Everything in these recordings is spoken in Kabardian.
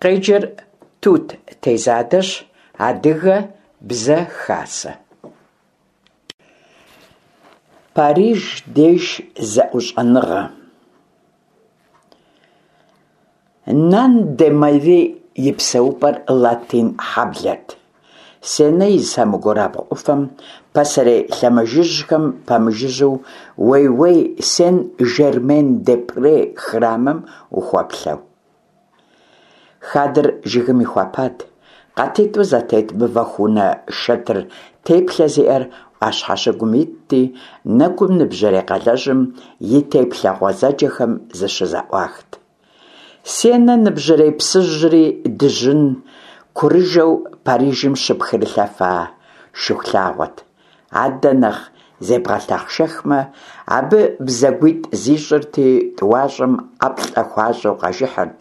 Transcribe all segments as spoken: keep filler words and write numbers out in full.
Къеджэр Тут Тезадэщ. Адыгэ Бзэ Хасэ. Париж деж зэӀущӀэныгъэ. Нан де Мери и псэупӀэр Латин хьэблэрт, Сенэ и сэмэгурабгъу Ӏуфэм, пасэрей лъэмыжыжьхэм пэмыжыжьэу, уей-уей Сен-Жермен-де-Пре храмым ухуэплъэу. Хадэр жыгым ихуэпат, къатитӀу зэтет мывэху унэ шэтыр теплъэ зиӀэр Ӏуащхьэ щыгум итти, нэгум ныбжьэрей къалэжьым и теплъэ гъуэзэджэхэм зыщызэӀуахт. Сенэ ныбжьэрей псыжьри дыжьын курыжэу Парижым щыпхрылъэфа Шыхулъагъуэт. Адэ нэхъ зебгъэлъэхъшэхмэ, абы бзэгуитӀ зищӀырти, тӀуащӀэм ӀэплӀэ хуащӀу къажыхьырт,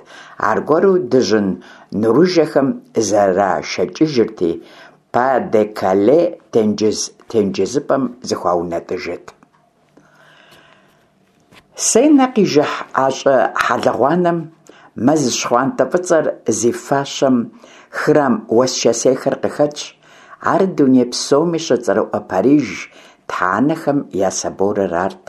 аргуэру дыжьын нурыжэхэм зэрашэкӀыжырти, Па-де-Кале тенджыз тенджызыпӀэм зыхуаунэтӀыжырт. Сенэ къижыхь а щӀы хьэлыгъуанэм, мэз щхъуантӀэ фӀыцӀэр зи фащэм храм уэсчэсейхэр къыхэтщ. Ар дуней псоми щыцӀэрыӀуэ Париж Тхьэ анэхэм я соборыр арт.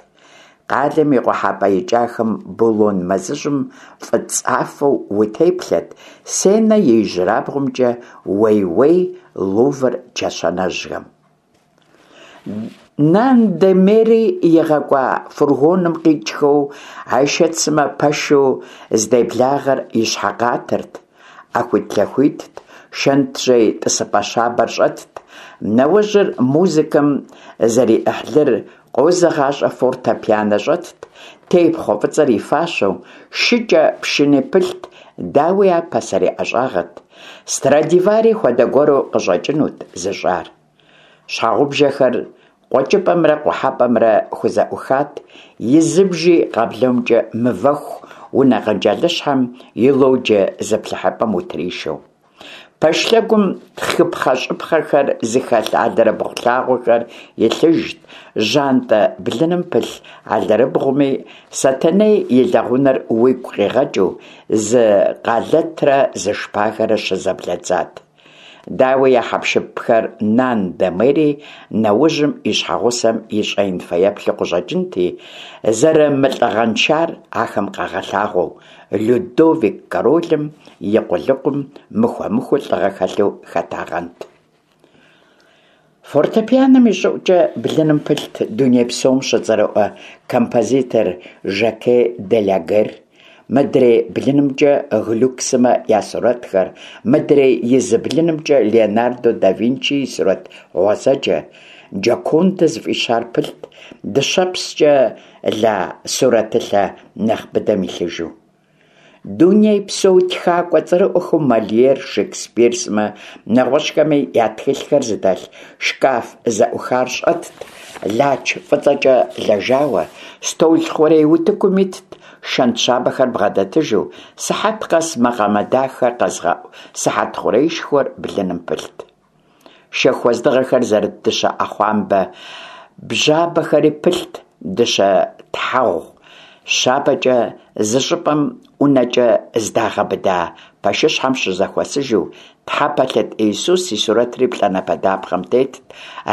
Къалэм и къухьэпӀэ и кӀахэм Булон мэзыжьым фӀыцӀафэу утеплъэрт, Сенэ и ижьырабгъумкӀэ уей-уей Лувр чэщанэжьхэм. Нан де Мери игъэкӀуа фургоным къикӀхэу Айшэт сымэ пэшу здеблагъэр ищхьэ къатырт. Ӏэхуитлъэхуитт, шэнтжьей тӀысыпӀэ щабэр щӀэтт, нэуэжьыр музыкэм зэриӀыхьлыр къозыгъащӀэ фортепианэ щӀэтт, тепхъуэ фӀыцӀэр и фащэу, шыкӀэпшыни пылът, дауи, ар пасэрей ӀэщӀагъэт, Страдивари хуэдэ гуэру къыщӀэкӀынут зыщӀар. Щхьэгъубжэхэр къуэкӀыпӀэмрэ къухьэпӀэмрэ хузэӀухат, и зы бжи къэбломкӀэ мывэху унэ къэнжалыщхьэм и лоджие зыплъыхьыпӀэм утришэу. Пэш лъэгум тхыпхъэщӀыпхъэхэр зыхэлъ алэрыбгъу лъагъуэхэр илъыжт, жьантӀэ блыным пылъ алэрыбгъуми, Сэтэней и лэгъунэр уигу къигъэкӀыу, зы къалэтрэ зы шпагэрэ щызэблэдзат. Дауи, а хьэпшыпхэр Нан де Мери нэужьым и щхьэгъусэм и щӀэин фэеплъу къыщӀэкӀынти, зэрымылӀыгъэншар ахэм къагъэлъагъуэу, Людовик королым и къулыкъум мыхуэмыхуу лӀыгъэ хэлъу хэтагъэнт. Фортепианэм и щӀыӀукӀэ блыным пылът дуней псом щыцӀэрыӀуэ композитор Жаке Делагер, мыдрей блынымкӀэ Глюк сымэ я сурэтхэр, мыдрей и зы блынымкӀэ Леонардо да Винчи и сурэт гъуэзэджэ «Джокондэ» зыфӀищар пылът, дыщэпскӀэ ла сурэтылъэ нэхъ быдэм илъыжу. Дунейпсо тхакӀуэ цӀэрыӀуэхэу Мольер, Шекспир сымэ, нэгъуэщӀхэми я тхылъхэр зыдэлъ шкаф зэӀухар щӀэтт, лач фӀыцӀэкӀэ лэжауэ, стӀол хъурей утыкум итт, шэнт щабэхэр бгъэдэтыжу, сыхьэт къэс макъамэ дахэ къэзыгъэӀу сыхьэт хъуреишхуэр блыным пылът. Шэху уэздыгъэхэр зэрыт дыщэ Ӏэхъуамбэ бжьабэхэри пылът, дыщэ тхьэгъу щабэкӀэ зы щӀыпӀэм ӀунэкӀэ здагъэбыда пэшыщхьэм щызэхуэсыжу, тхьэпэлъыт Иисус и сурэтри плӀанэпэ дапхъэм тетт,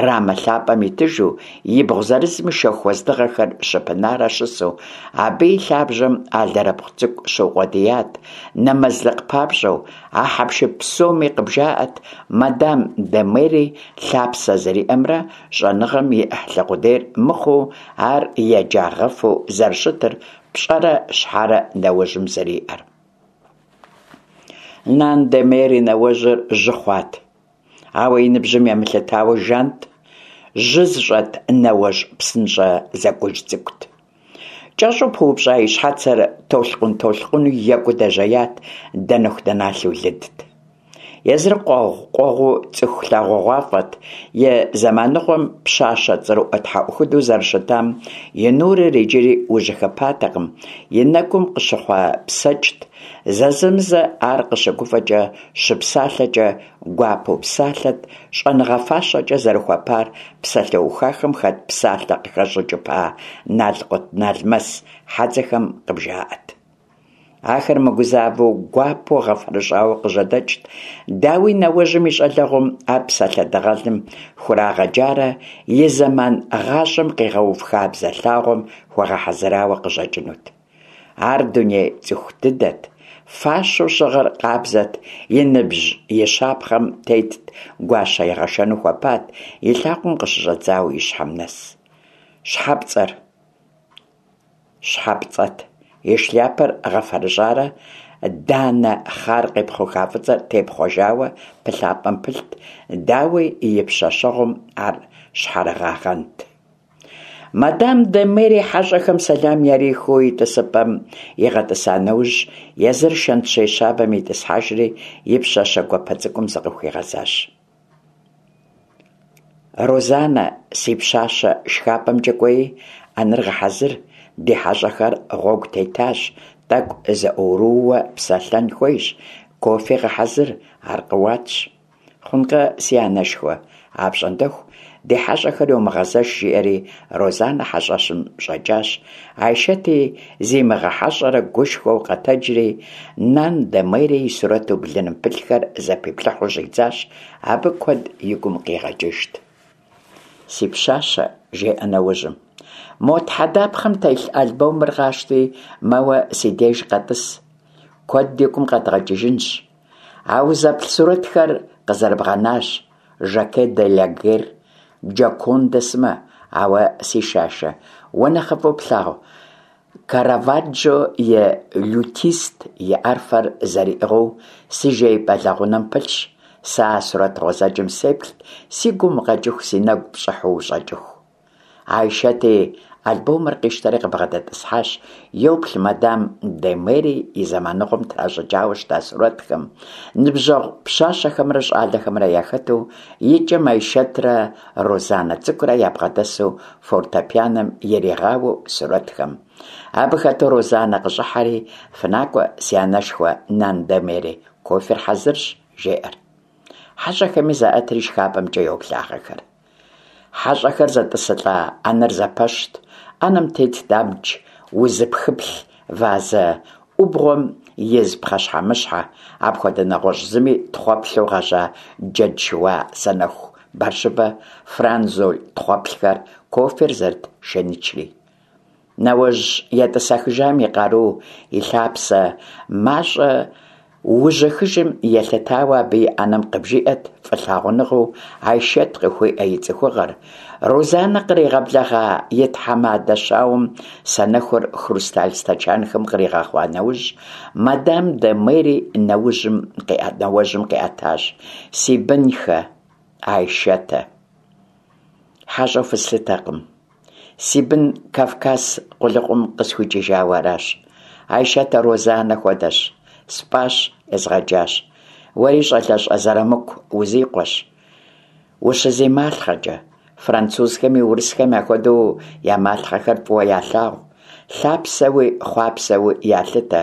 рамэ лъапӀэм итыжу, ибгъу зырызми шэху уэздыгъэхэр щыпынарэ щысу, абы и лъабжьэм алэрыбгъу цӀыкӀу щыукъуэдият, нэмэзлыкъ папщӀэу. А хьэпшып псоми къыбжаӀэрт мадам де Мери лъапсэ зэриӀэмрэ щӀэныгъэм и Ӏыхьлы къудей мыхъуу, ар еджагъэфӀу зэрыщытыр, пщӀэрэ щхьэрэ нэуэжьым зэриӀэр. Нан де Мери нэуэжьыр жьы хъуат, ауэ и ныбжьым емылъытауэ жант, жьы зыщӀэт нэуэжь псынщӀэ зэкӀуж цӀыкӀут. КӀэщӀу пыупщӀа и щхьэцыр толъкъун-толъкъуну екӀуу дэжеят, дэнэху-дэналъэу лыдт. Езыр къуэгъу-къуэгъуу цӀыху лъагъугъуафӀэт, и зэманыгъуэм пщащэ цӀэрыӀуэ тхьэӀухуду зэрыщытам и нурыр иджыри ужьыхыпатэкъым, и нэгум къыщыхъуэпсэкӀт, зэзэмызэ ар къыщыгуфӀэкӀэ, щыпсалъэкӀэ гуапэу псалъэт, щӀэныгъэ фащэкӀэ зэрыхуэпар псалъэухахэм хэт псалъэ къыхэщӀыкӀыпа налкъутналмэс хьэдзэхэм къыбжаӀэт. Ахэр мыгузавэу, гуапэу гъэфэрыщӀауэ къыжьэдэкӀт. Дауи, нэуэжьым и щӀалэгъуэм ар псалъэ дыгъэлым хурагъэджарэ и зэман гъащӀэм къигъэув хабзэ лъагъуэм хуагъэхьэзырауэ къыщӀэкӀынут. Ар дуней цӀыху дыдэт, фащэу щыгъыр къабзэт, и ныбжь и щапхъэм тетт, гуащэ егъэшэну хуэпат, и лъакъуэм къыщыщӀэдзауэ и щхьэм нэс. ЩхьэпцӀэр щхьэпцӀэт, и шляпэр гъэфэрыщӀарэ данэ хъар къепхъуха фӀыцӀэр тепхъуэжауэ пылъапӀэм пылът, дауи, и пщэщэгъум ар щхьэрыгъагъэнт. Мадам де Мери хьэщӀэхэм сэлам ярихыу и тӀысыпӀэм игъэтӀыса нэужь, езыр шэнтжьей щабэм итӀысхьэжри, и пщащэ гуапэ цӀыкӀум зыкъыхуигъэзащ. «Розанэ, си пщащэ, шхапӀэмкӀэ кӀуэи, Ӏэнэр гъэхьэзыр, ди хьэщӀэхэр гъуэгу тетащ, тӀэкӀу зэӀурыууэ псэлъэн хуейщ, кофе гъэхьэзыр, ар къыуатщ». «Хъункъэ, си анэшхуэ, апщӀондэху ди хьэщӀэхэр йомыгъэзэш», – жиӀэри Розанэ хьэщӀэщым щӀэкӀащ. Айшэти зимыгъэхьэщӀэрэ гушхуэу къэтэджри, Нан де Мери и сурэту блыным пылъхэр зэпиплъыхьу щӀидзащ, абы куэд и гум къигъэкӀыжт. «Си пщащэ, – жеӀэ нэужьым, – мо тхьэдапхъэм телъ альбомыр къащти, мэуэ си деж къэтӀыс, куэд ди гум къэдгъэкӀыжынщ. А узэплъ сурэтхэр къызэрыбгъэнащ Жаке де ла Гер, Джокондэ сымэ, ауэ, си шашэ, уэ нэхъыфӀу плъагъу Караваджо и «Лютист» и арфэр зэриӀыгъыу си жеипӀэ лэгъунэм пылъщ. Сэ а сурэт гъуэзэджэм сеплът, си гум укъэкӀыху, си нэгу пщӀыхьу ущӀэкӀыху». Айшэти альбомыр къищтэри къыбгъэдэтӀысхьащ, йоплъ мадам де Мери и зэманыгъуэм тращӀыкӀауэ щыта сурэтхэм, ныбжьэгъу пщащэхэмрэ щӀалэхэмрэ яхэту, икӀэм Айшэтрэ Розанэ цӀыкӀурэ ябгъэдэсу фортепианэм иригъауэу сурэтхэм. Абы хэту Розанэ къыщӀыхьэри, «фынакӀуэ, си анэшхуэ Нан де Мери, кофер хьэзырщ», – жеӀэр. ХьэщӀэхэми заӀэтри шхапӀэмкӀэ йоблагъэхэр. ХьэщӀэхэр зэтӀысылӀа Ӏэнэр зэпэщт. Ӏэнэм тетт абдж узыпхыплъ вазэ Ӏубгъуэм из пхъэщхьэмыщхьэ, апхуэдэ нэгъуэщӀ зыми тхъуэплъу гъэжьа джэд шыуа санэху бэрщыбэ, франзоль тхъуэплъхэр, кофер зэрыт шэнычри. Нэуэжь етӀысэхыжам и къару, и лъапсэ мащӀэ ужьыхыжым елъытауэ абы и Ӏэнэм къыбжиӀэт фӀылъагъуныгъэу Айшэт къыхуиӀэ и цӀыхугъэр. Розанэ къригъэблэгъа и тхьэмадэ щауэм санэхур хрусталь стэчанхэм къригъэхъуа нэужь, мадам де Мери нэуэжьым къиӀэтащ: «Си бынхэ, Айшэтэ, хьэщӀэу фыслъытэкъым. Си бын Кавказ къулыкъум къысхуикӀыжауэ аращ. Айшэтэ Розанэ хуэдэщ. СпӀащ, езгъэджащ. Уэри щӀалэщӀэ Зэрамыку узикъуэщ. УщызималъхъэкӀэ, французхэми урысхэм яхуэдэу я малъхъэхэр фӀыуэ ялъагъу, лъапсэуи хъуапсэуи ялъытэ.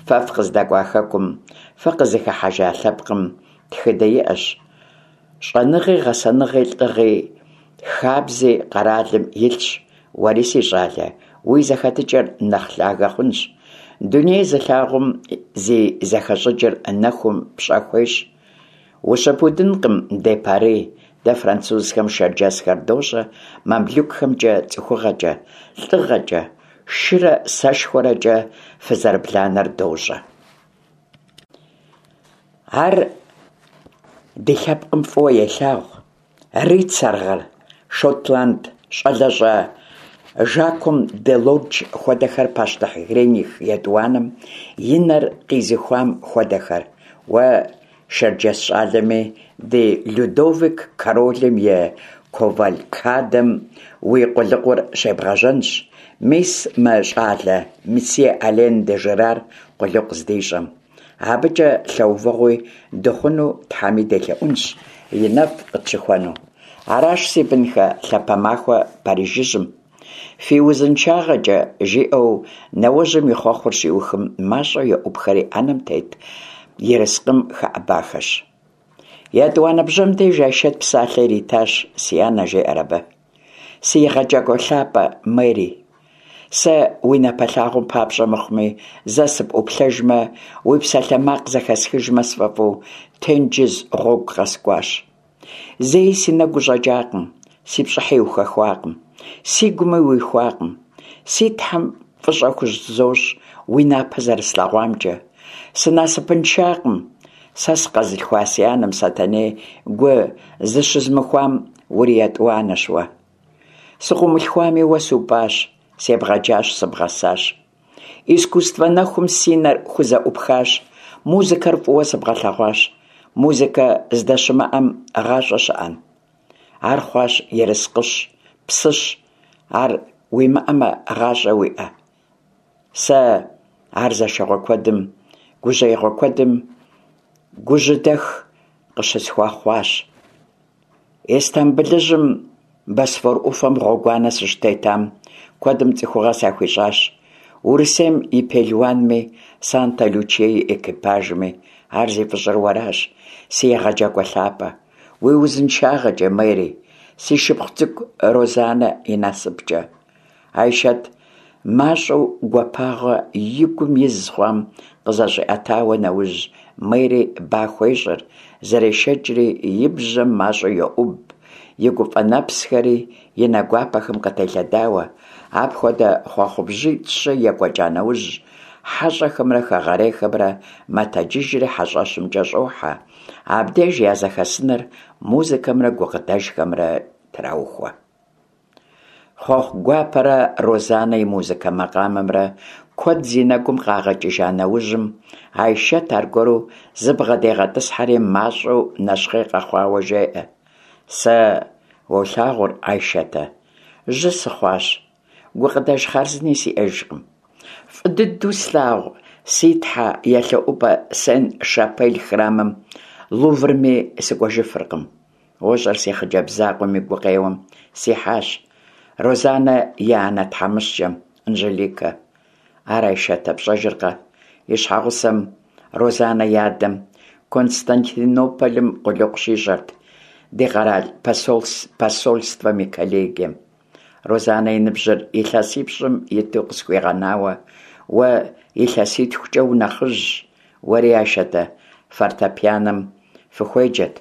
Фэ фыкъыздэкӀуа хэкум, фыкъызыхыхьэжа лъэпкъым тхыдэ иӀэщ. ЩӀэныгъи, гъэсэныгъи, лӀыгъи, хабзи къэралым илъщ. Уэри, си щӀалэ, уи зэхэтыкӀэр нэхъ лъагэ хъунщ. Дуней зылъагъум, зи зэхэщӀыкӀыр нэхум пщӀэ хуещӀ. Ущыпудынкъым де Пари, дэ французхэм шэрджэсхэр дощӀэ мамлюкхэмкӀэ цӀыхугъэкӀэ, лӀыгъэкӀэ, шырэ сэшхуэрэкӀэ фызэрыбланэр дощӀэ. Ар ди лъэпкъым фӀыуэ елъагъу рыцарьгъэр, шотланд щӀалэщӀэ Жаком де Лордж хуэдэхэр, пащтыхь Генрих етӀуанэм и нэр къизыхуам хуэдэхэр. Уэ, шэрджэс щӀалэми, ди Людовик королым и кавалькадэм уи къулыкъур щебгъэжьэнщ, мис мы щӀалэ мсье Ален де Жирар къулыкъу здищӀэм. АбыкӀэ лъэувыгъуи дыхъуну Тхьэми делъэӀунщ, и нэфӀ къытщыхуэну. Аращ, си бынхэ, лъапэ махуэ Парижыжьым. Фи узыншагъэкӀэ, – жиӀэу нэуэжьым и хъуэхъур щиухым, мащӀэу еӀупхэри Ӏэнэм тет ерыскъым хэӀэбахэщ. ЕтӀуанэ бжьэм деж Айшэт псалъэ иритащ: «Си анэ, – жеӀэр абы, – си егъэджакӀуэ лъапӀэ Мери, Сэ уи напэлъагъум папщӏэ мыхъуми, зэ сыпӏуплъэжмэ, уи псалъэмакъ зэхэсхыжмэ сфӏэфӏу, тенджыз гъуэгу къэскӏуащ. Зэи си нэгу ущӏэкӏакъым, си пщӏыхьи ухэхуакъым, сигуми уихуакъым. Си Тхьэм фӏыщӏэ хузощӏ уи напэ зэрыслъэгъуамкӏэ. Сынасыпыншакъым, сэ сыкъэзылъхуа си анэм Сэтэней гу зыщызмыхуам уриетӏуанэщ уэ. Сыкъыумылъхуами, уэ супӏащ, себгъэджащ, сыбгъэсащ. Искусствэ нэхум си нэр хузэӏупхащ, музыкэр фӏыуэ сэбгъэлъэгъуащ. Музыкэ здэщымыӏэм гъащӏэ щыӏэн? Ар хъуащ ерыскъыщ, псыщ, ар уимыӏэмэ, гъащӏэ уиӏэ? Сэ ар зэшыгъуэ куэдым, гужьеигъуэ куэдым гужьыдэх къыщысхуэхъуащ. Истамбылыжьым Босфор ӏуфэм гъуэгуанэ сыщытетам, куэдым цӏыхугъэ сахуищӏащ. Урысейм и пелуанми, Санта-Лючие и экипажми. Ар зи фӏыщӏэр уэращ, си егъэджакӏуэ лъапӏэ. Уи узыншагъэкӏэ, Мэри, си шыпхъу цӏыкӏу Розанэ и насыпкӏэ. Айшэт мащӏэу гуапагъэ и гум из хъуам къызэщӏиӏэтауэ нэужь, Мэри ба хуещӏыр, зэрешэкӏри и бжьэм мащӏэу йоӏуб, и гуфӏэ нэпсхэри и нэ гуапэхэм къытелъэдауэ. Апхуэдэ хъуэхъубжьитӏ-щы екӏуэкӏа нэужь, хьэщӏэхэмрэ хэгъэрейхэмрэ мэтэджыжри хьэщӏэщымкӏэ щӏохьэ. Абдеж я зэхэсыныр музыкэмрэ гукъыдэжхэмрэ траухуэ. Хъуэхъу гуапэрэ Розанэ и музыкэ макъамэмрэ куэд зи нэгум къагъэкӏыжа нэужьым, Айшэт аргуэру зыбгъэдегъэтӏысхьэри мащӏэу нэщхъей къэхъуауэ жеӏэ: Сэ уолъагъур, Айшэтэ, жьы сыхъуащ, гукъыдэж хъарзыни сиӏэжкъым. Фӏы дыдэу слъагъу си тхьэ елъэӏупӏэ Сен-Шапель храмым Луврми сыкӏуэжыфыркъым. Уощӏэр, си хъыджэбз закъуэм и гукъеуэм сихьащ. Розанэ и анэ тхьэмыщкӏэм, Анжеликэ. Ар Айшэтэ пщӏэжыркъэ? И щхьэгъусэм, Розанэ и адэм, Константинополым къулыкъу щищӏэрт ди къэрал посольствэм и коллегием. Розанэ и ныбжьыр илъэсипщӏым иту къысхуигъэнауэ, уэ илъэситхукӏэ унэхъыжьщ, уэри, Айшэтэ, фортепианэм фыхуеджэт.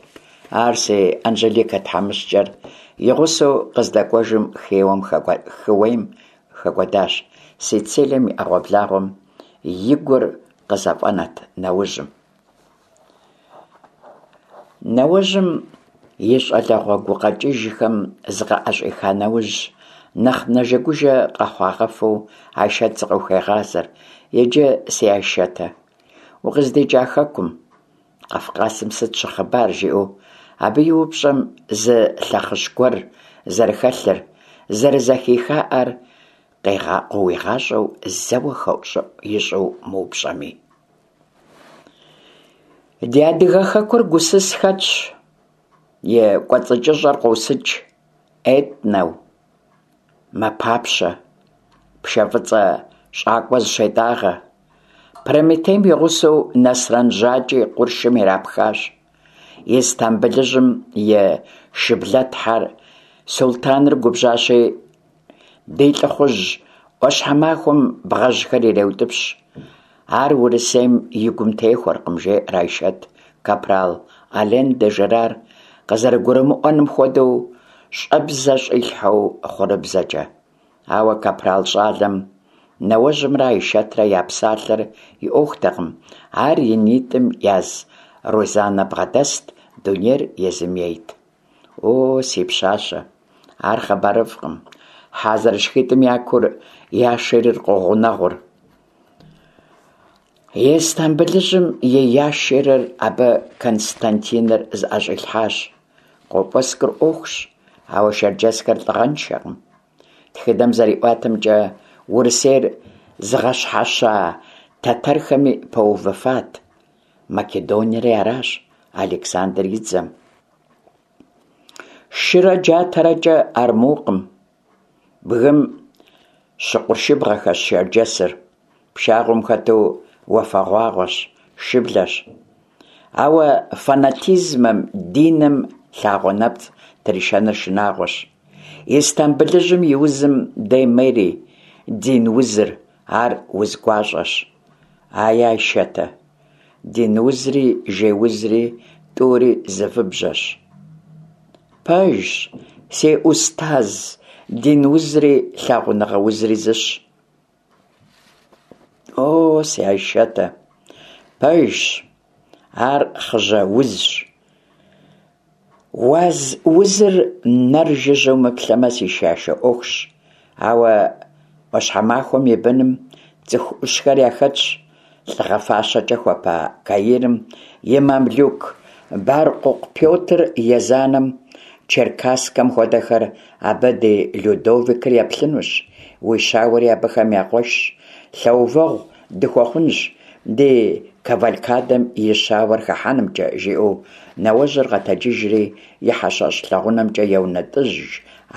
Ар си Анжеликэ тхьэмыщкӏэр и гъусэу къыздэкӏуэжым хыуейм хэкӏуэдащ, Сицилием и ӏэгъуэблагъуэм и гур къызэфӏэнат нэужьым. Нэужьым, и щӏалэгъуэ гукъэкӏыжхэм зыкъыӏэщӏиха нэужь, нэхъ нэжэгужэ къэхъуагъэфэу Айшэт зыкъыхуегъазэр: Иджы, си Айшэтэ, укъыздикӏа хэкум, Къафкъасым сыт щыхъыбар? жиӏэу абы и упщӏэм зы лъэхъыщ гуэр зэрыхэлъыр, зэрызэхихаӏэр къыуигъащӏэу зэуэ хэӏущӏыӏу ищӏу мыупщӏэми. Ди адыгэ хэкур гусыс хэтщ, и кӏуэцӏыкӏыщӏэр къосыкӏ, Этнэу мэпапщэ, пшэ фӏыцӏэ щӏакӏуэ зыщетӏагъэ. Прометейм и гъусэу Нэсрэн Жьакӏи къуршым ирапхащ. Истамбылыжьым и шыблэтхьэр султаныр губжьащи, ди лӏыхъужь ӏуащхьэмахуэм бгъэжьхэр иреутӏыпщ. Ар Урысейм и гум техуэркъым, жеӏэр Айшэт, капрал Ален де Жерар къызэрыгурымыӏуэным хуэдэу щӏэбзэ щӏилъхьэу хъурыбзэкӏэ. Ауэ капрал щӏалэм нэуэжьымрэ Айшэтрэ я псалъэр и ӏуэхутэкъым, ар и нитӏым яз Розанэ бгъэдэст, дунейр езым ейт. О, си пщащэ, ар хъыбарыфӏкъым. Хьэ зэрышхитӏым я кур яшерыр къогъунэгъур. Истамбылыжьым и яшерыр абы Константиныр зыӏэщӏилъхьащ. Къопӏэскӏур ӏуэхущ, ауэ шэрджэсхэр лӏыгъэншэкъым. Тхыдэм зэриӏуатэмкӏэ, Урысейр зыгъэщхьэща тэтэрхэми пэувыфат. Македониери аращ Александр и дзэм. Шырэ джатэрэкӏэ армукъым. Бгым щыкъуршыбгъэхэщ шэрджэсыр, пшагъуэм хэту уафэгъуагъуэщ, шыблэщ. Ауэ фанатизмэм, диным лъагъуэ нэпцӏ тришэныр шынагъуэщ. Истамбылыжьым и узым де Мэри, дин узыр, ар уз гуащӀэщ. Ай, Айшэтэ, дин узри жей узри тӀури зы выбжьэщ. Пэжщ, си ӏустаз, дин узри лъагъуныгъэ узри зыщ. О, си Айшэтэ, пэжщ, ар хъыжьэ узщ. Уаз узыр нэр жыжьэу мыплъэмэ, си шашэ Ӏуэхущ, ауэ Ӏуащхьэмахуэм и быным цӀыху Ӏущхэр яхэтщ. ЛӀыгъэ фащэкӀэ хуэпа Каирым и мамлюк Бэркъукъу Пётр Езанэм Черкасскэм хуэдэхэр, абы ди Людовикыр еплъынущ, уи щауэри абыхэм я къуэшщ, лъэувэгъу дыхуэхъунщ ди кавалькадэм и щауэр хыхьэнымкӀэ, жиӀэу нэуэжьыр къэтэджыжри и хьэщэщ лэгъунэмкӀэ еунэтӀыж,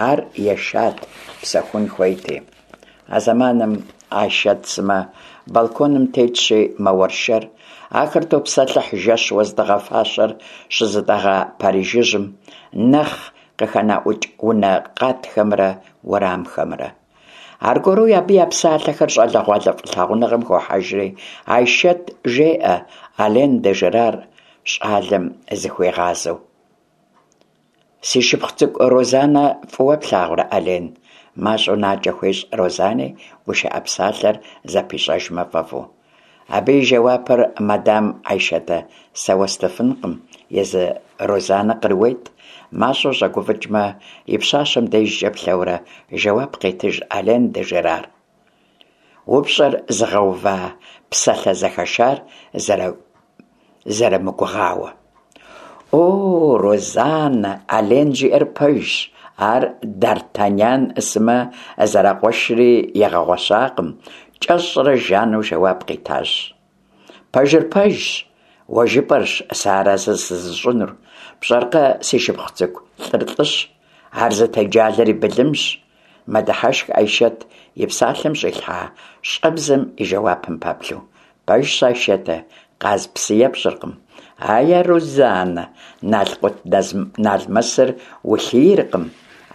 ар ешат, псэхун хуейти. А зэманым Айшэт сымэ балконым тетщи мэуэршэр. Ахэр топсэлъыхь жэщ уэздыгъэ фащэр щызытӀэгъа Парижыжьым нэхъ къыхэнаӀукӀ унэ къатхэмрэ уэрамхэмрэ. Аргуэру абы я псалъэхэр щӀалэгъуалэ фӀылъагъуныгъэм хохьэжри, Айшэт жеӀэ Ален де Жерар щӀалэм зыхуигъазэу. Си шыпхъу цӀыкӀу Розанэ фӀыуэ плъагъурэ, Ален? МащӀэу накӀэ хуещӀ Розани, гушыӀэ псалъэр зэпищӀэжмэ фӀэфӀу. Абы и жэуапыр, мадам Айшэтэ, сэ уэстыфынкъым, езы Розанэ кърыует. МащӀэу щӀэгуфӀыкӀмэ, и пщащэм дежкӀэ плъэурэ, жэуап къетыж Ален де Жерар. УпщӀэр зыгъэува псалъэ зэхэшар зэрымыгугъауэ. О, Розанэ, Ален жиӀэр пэжщ, ар дАртаньян сымэ зэракъуэшри игъэгъуэщакъым, кӀэщӀрэ жану жэуап къитащ. Пэжыр пэжщ, уэ жыпӀэрщ сэ арэзы сызыщӀынур. ПщӀэркъэ, си шыпхъу цӀыкӀу, лӀыр лӀыщ, ар зытеджалэр и былымщ, мэдыхьэшх Айшэт и псалъэм щӀилъхьа щӀэбзэм и жэуапым пэплъэу. Пэжщ, Айшэтэ, къаз псы епщӀыркъым. Ая, Розанэ, налкъутналмэсыр улъийркъым.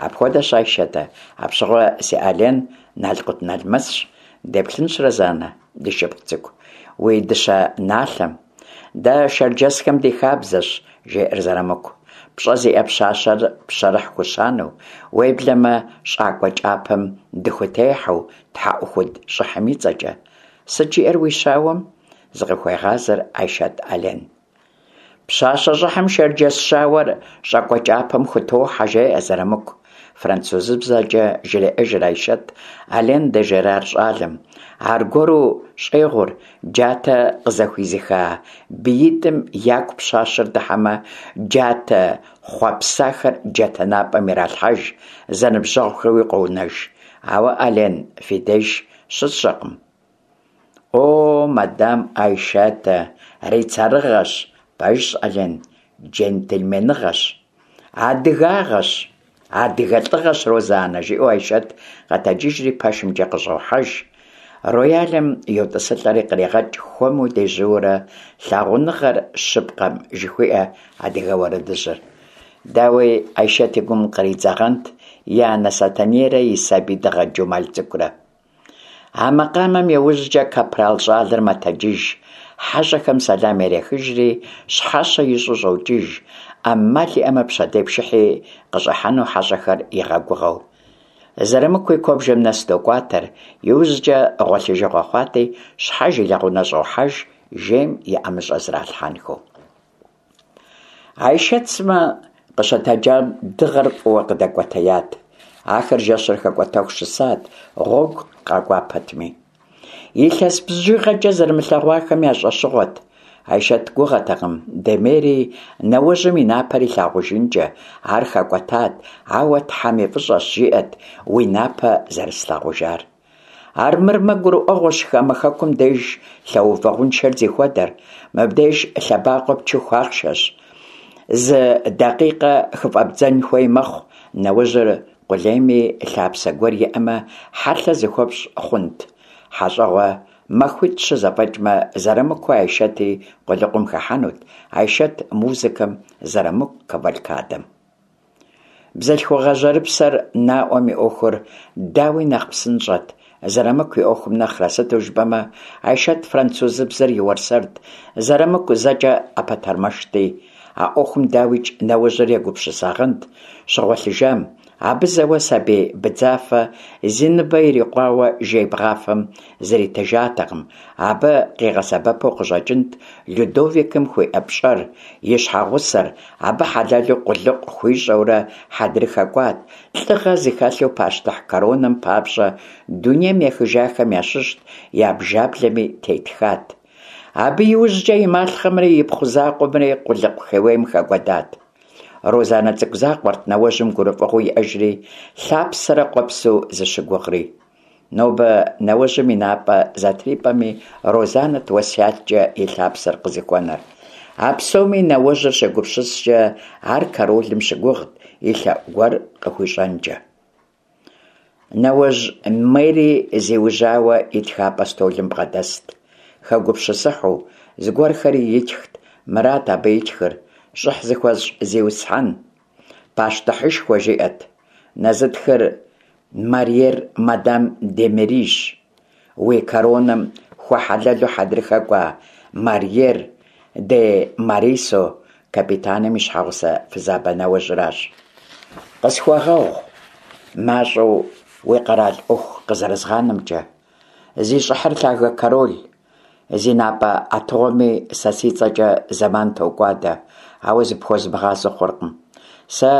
Апхуэдэщ, Айшэтэ, апщыгъуэ си Ален налкъутналмэсщ. Деплъынщ, Розанэ, ди шыпхъу цӀыкӀу, уи дыщэ налъэм. Дэ шэрджэсхэм ди хабзэщ, жеӀэр Зырамыку, пщӀэ зиӀэ пщащэр пщэрыхь хущанэу, уеблэмэ щӀакӀуэ кӀапэм дыхутехьэу, тхьэӀухуд щӀыхьым и цӀэкӀэ. Сыт жиӀэр уи щауэм? Зыкъыхуегъазэр Айшэт Ален. Пщащэ щӀыхьым шэрджэс щауэр щӀакӀуэ кӀапэм хутохьэ, жеӀэ Зырамыку. ФранцузыбзэкӀэ жреӀэжыр Айшэт Ален де Жерар щӀалэм. Аргуэру щӀегъур: джатэ къызэхуизыха биитӀым яку пщащэр дыхьэмэ, джатэ хъуэпсахэр джатэ напӀэм иралъхьэж, зэныбжьэгъухэуи къонэж. Ауэ Ален фи деж щысщӀэркъым. О, мадам Айшэтэ, рыцарыгъэщ! Пэжщ, Ален, джентльменыгъэщ! Адыгагъэщ! Адыгэ лӀыгъэщ, Розанэ, жиӀэу Айшэт къэтэджыжри пэшымкӀэ къыщӀохьэж. Роялым йотӀысылӀэри кърегъэкӀ хуэму дежьууэрэ «Лъагъуныгъэр щыпкъэм» жыхуиӀэ адыгэ уэрэдыжьыр. Дауи, Айшэт и гум къридзагъэнт и анэ Сэтэнейрэ и сабий дыгъэ Джумал цӀыкӀурэ. А макъамэм иужькӀэ капрал щӀалэр мэтэджыж, хьэщӀэхэм сэлам ярехыжри, щхьэщэ ищӀу щӀокӀыж, Ӏэмал иӀэмэ, пщэдей пшыхьи къыщӀыхьэну хьэщӀэхэр игъэгугъэу. Зырамыкуи куэбжэм нэс докӀуатэр, иужькӀэ гъуэлъыжыгъуэ хъуати, щхьэж и лэгъунэ щӀохьэж, жейм и ӀэмыщӀэ зралъхьэнхэу. Айшэт сымэ къыщытэджам дыгъэр фӀыуэ къыдэкӀуэтеят. Ахэр жэщыр хэкӀуэтэху щысат, гъуэгу къакӀуа пэтми. Илъэс бжыгъэкӀэ зэрымылъэгъуахэм я щӀэщыгъуэт. Айшэт гугъэтэкъым Демери нэуэжьым и напэр илъагъужынкӀэ, ар хэкӀуэтат, ауэ Тхьэм и фӀыщӀэщ, жиӀэт, уи напэ зэрыслъагъужар. Армырмэ, гурыӀуэгъуэщ хамэ хэкум деж лъэувэгъуншэр зихуэдэр, мыбдеж лъэбакъуэ пчыху ахъшэщ, зы дакъикъэ хыфӀэбдзэн хуей мэхъу, нэужьыр къулейми, лъапсэ гуэр иӀэмэ, хьэлъэ зыхуэпщӀ хъунт. ХьэщӀэгъуэ махуитӀ-щы зэфӀэкӀмэ, Зырамыкуи Айшэти къулыкъум хыхьэнут, Айшэт музыкэм, Зырамыку кавалькадэм. Бзылъхугъэ жьэрыпсэр наӀуэм и Ӏуэхур, дауи, нэхъ псынщӀэт, Зырамыку и Ӏуэхум нэхърэ, сыту жыпӀэмэ Айшэт французыбзэр и уэрсэрт, Зырамыку зэкӀэ Ӏэпэтэрмэшти. А Ӏуэхум, дауикӀ, нэуэжьыр егупсысагъэнт щыгъуэлъыжам, абы зэуэ сабий быдзафэ зи ныбэ ирикъуауэ жей бгъафэм зритыжатэкъым, абы къигъэсэбэпу къыщӀэкӀынт Людовикым хуиӀэ пщӀэр, и щхьэгъусэр абы хьэлэлу къулыкъу хуищӀэурэ хьэдрыхэ кӀуат, лӀыгъэ зыхэлъу пащтыхь коронэм папщӀэ дунейм ехыжахэм ящыщт, я бжаблэми тетхат. Абы иужькӀэ и малъхъэмри ипхъу закъуэмри къулыкъу хеуейм хэкӀуэдат. Розанэ цӀыкӀу закъуэрт нэуэжьым гурыфӀыгъуэу иӀэжри, лъапсэрэ къуэпсу зыщыгугъри. Нобэ нэуэжьым и напӀэ зэтрипӀэми, Розанэт уэсяткӀэ и лъапсэр къызыхуэнэр. А псоми нэуэжьыр щегупсыскӀэ, ар королым щыгугът и лъэӀу гуэр къыхуищӀэнкӀэ. Нэуэжь Мери зиужьауэ и тхапӀэ стӀолым бгъэдэст, хэгупсысыхьу, зыгуэрхэри итхт. Мырат абы итхыр: «ЩӀыхь зыхуэсщӀ зиусхьэн, пащтыхьышхуэ», жиӀэт. Нэзытхыр Марьер мадам де Мерищ. Уи коронэм хуэхьэлэлу хьэдрыхэ кӀуа Марьер де Марисо капитаным и щхьэгъусэ фызабэ нэуэжьыращ. Къысхуэгъэгъу мащӀэу уи къэрал Ӏуэху къызэрызгъанэмкӀэ, зи щӀыхьыр лъагэ король, зи напӀэ Ӏэтыгъуэми сэ си цӀэкӀэ зэман токӀуадэ, ауэ зыпхуэзмыгъазэу хъуркъым. Сэ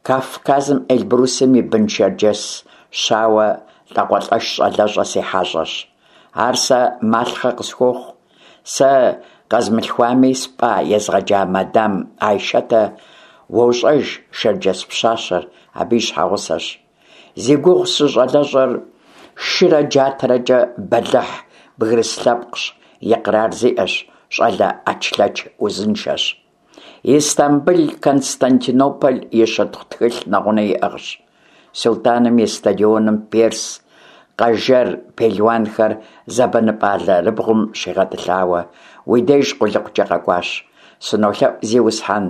Кавказым Эльбрусым и бын шэрджэс щауэ лӀакъуэлӀэш щӀалэщӀэ си хьэщӀэщ. Ар сэ малъхъэ къысхуохъу. Сэ къэзмылъхуами, спӀа, езгъэджа мадам Айшэтэ уощӀэж шэрджэс пщащэр, абы и щхьэгъусэщ. Зи гугъу сщӀы щӀалэщӀэр шырэ джатэрэкӀэ бэлыхь бгырыс лъэпкъщ, икърар зиӀэщ, щӀалэ Ӏэчлъэч узыншэщ. Истамбыл, Константинополь и щытхъу тхылъ нэгъунэ иӀыгъщ. СулътӀаным и стадионым перс, къэжэр пелуанхэр зэбэныпӀэ алэрыбгъум щигъэтӀылъауэ, уи деж къулыкъукӀэ къэкӀуащ. СынолъэӀу, зиусхьэн,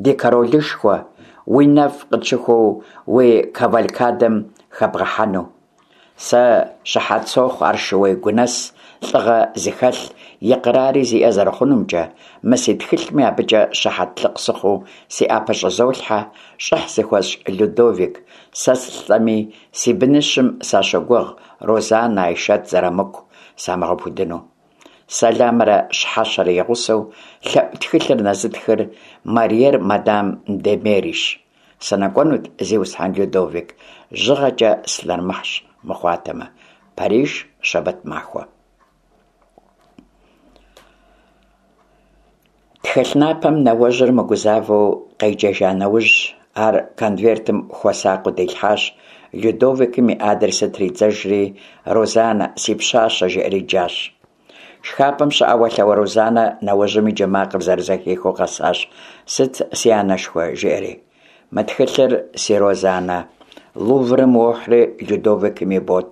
ди королышхуэ, уи нэфӀ къытщыхуэу уи кавалькадэм хэбгъэхьэну. Сэ щыхьэт сохъу ар шууей гунэс, лӀыгъэ зыхэлъ, икърари зиӀэ зэрыхъунумкӀэ, мы си тхылъми абыкӀэ щыхьэтлыкъ сыхъуу си Ӏэпэ щӀызолъхьэ, щӀыхь зыхуэсщӀ Людовик, сэ сылӀэми, си быныщым сащогугъ Розанэ, Айшэт, Зырамыку самыгъэпудыну. Сэламрэ щхьэщэрэ и гъусэу лъэӀу тхылъыр нэзытхыр Марьер мадам де Мерищ. СынэкӀуэнут, зиусхьэн Людовик, жьыгъэкӀэ сылъэрымыхь мыхъуатэмэ. Париж, щэбэт махуэ. Тхылъ напэм нэуэжьыр мыгузавэу къеджэжа нэужь, ар конвертым хуэсакъыу дилъхьащ, Людовикым и адресыр тридзэжри, «Розанэ, си пщащэ», жиӀэри джащ. ШхапӀэм щыӀэуэлъауэ Розанэ нэуэжьым и джэ макъыр зэрызэхихыу къэсащ: «Сыт, си анэшхуэ?» жиӀэри. «Мы тхылъыр, си Розанэ, Луврым уохьри Людовикым ибот».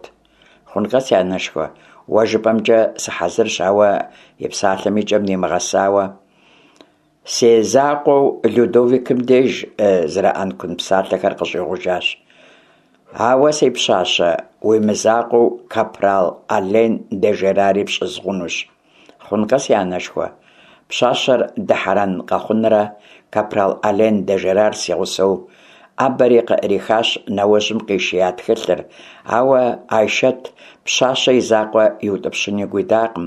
«Хъункъэ, си анэшхуэ, уэ жыпӀэмкӀэ сыхьэзырщ», ауэ и псалъэм и кӀэм нимыгъэсауэ, «Си закъуэу Людовикым деж», зэрыӀэнкун псалъэхэр къыщӀигъужащ. «Ауэ, си пщащэ, уи мызакъуэу капрал Ален де Жерари пщӀызгъунущ». «Хъункъэ, си анэшхуэ», пщащэр дыхьэрэн къэхъунрэ, капрал Ален де Жерар си гъусэу Ӏэбэри къыӀрихащ нэуэжьым къишия тхылъыр, ауэ Айшэт пщащэ и закъуэ иутӀыпщын игу идакъым,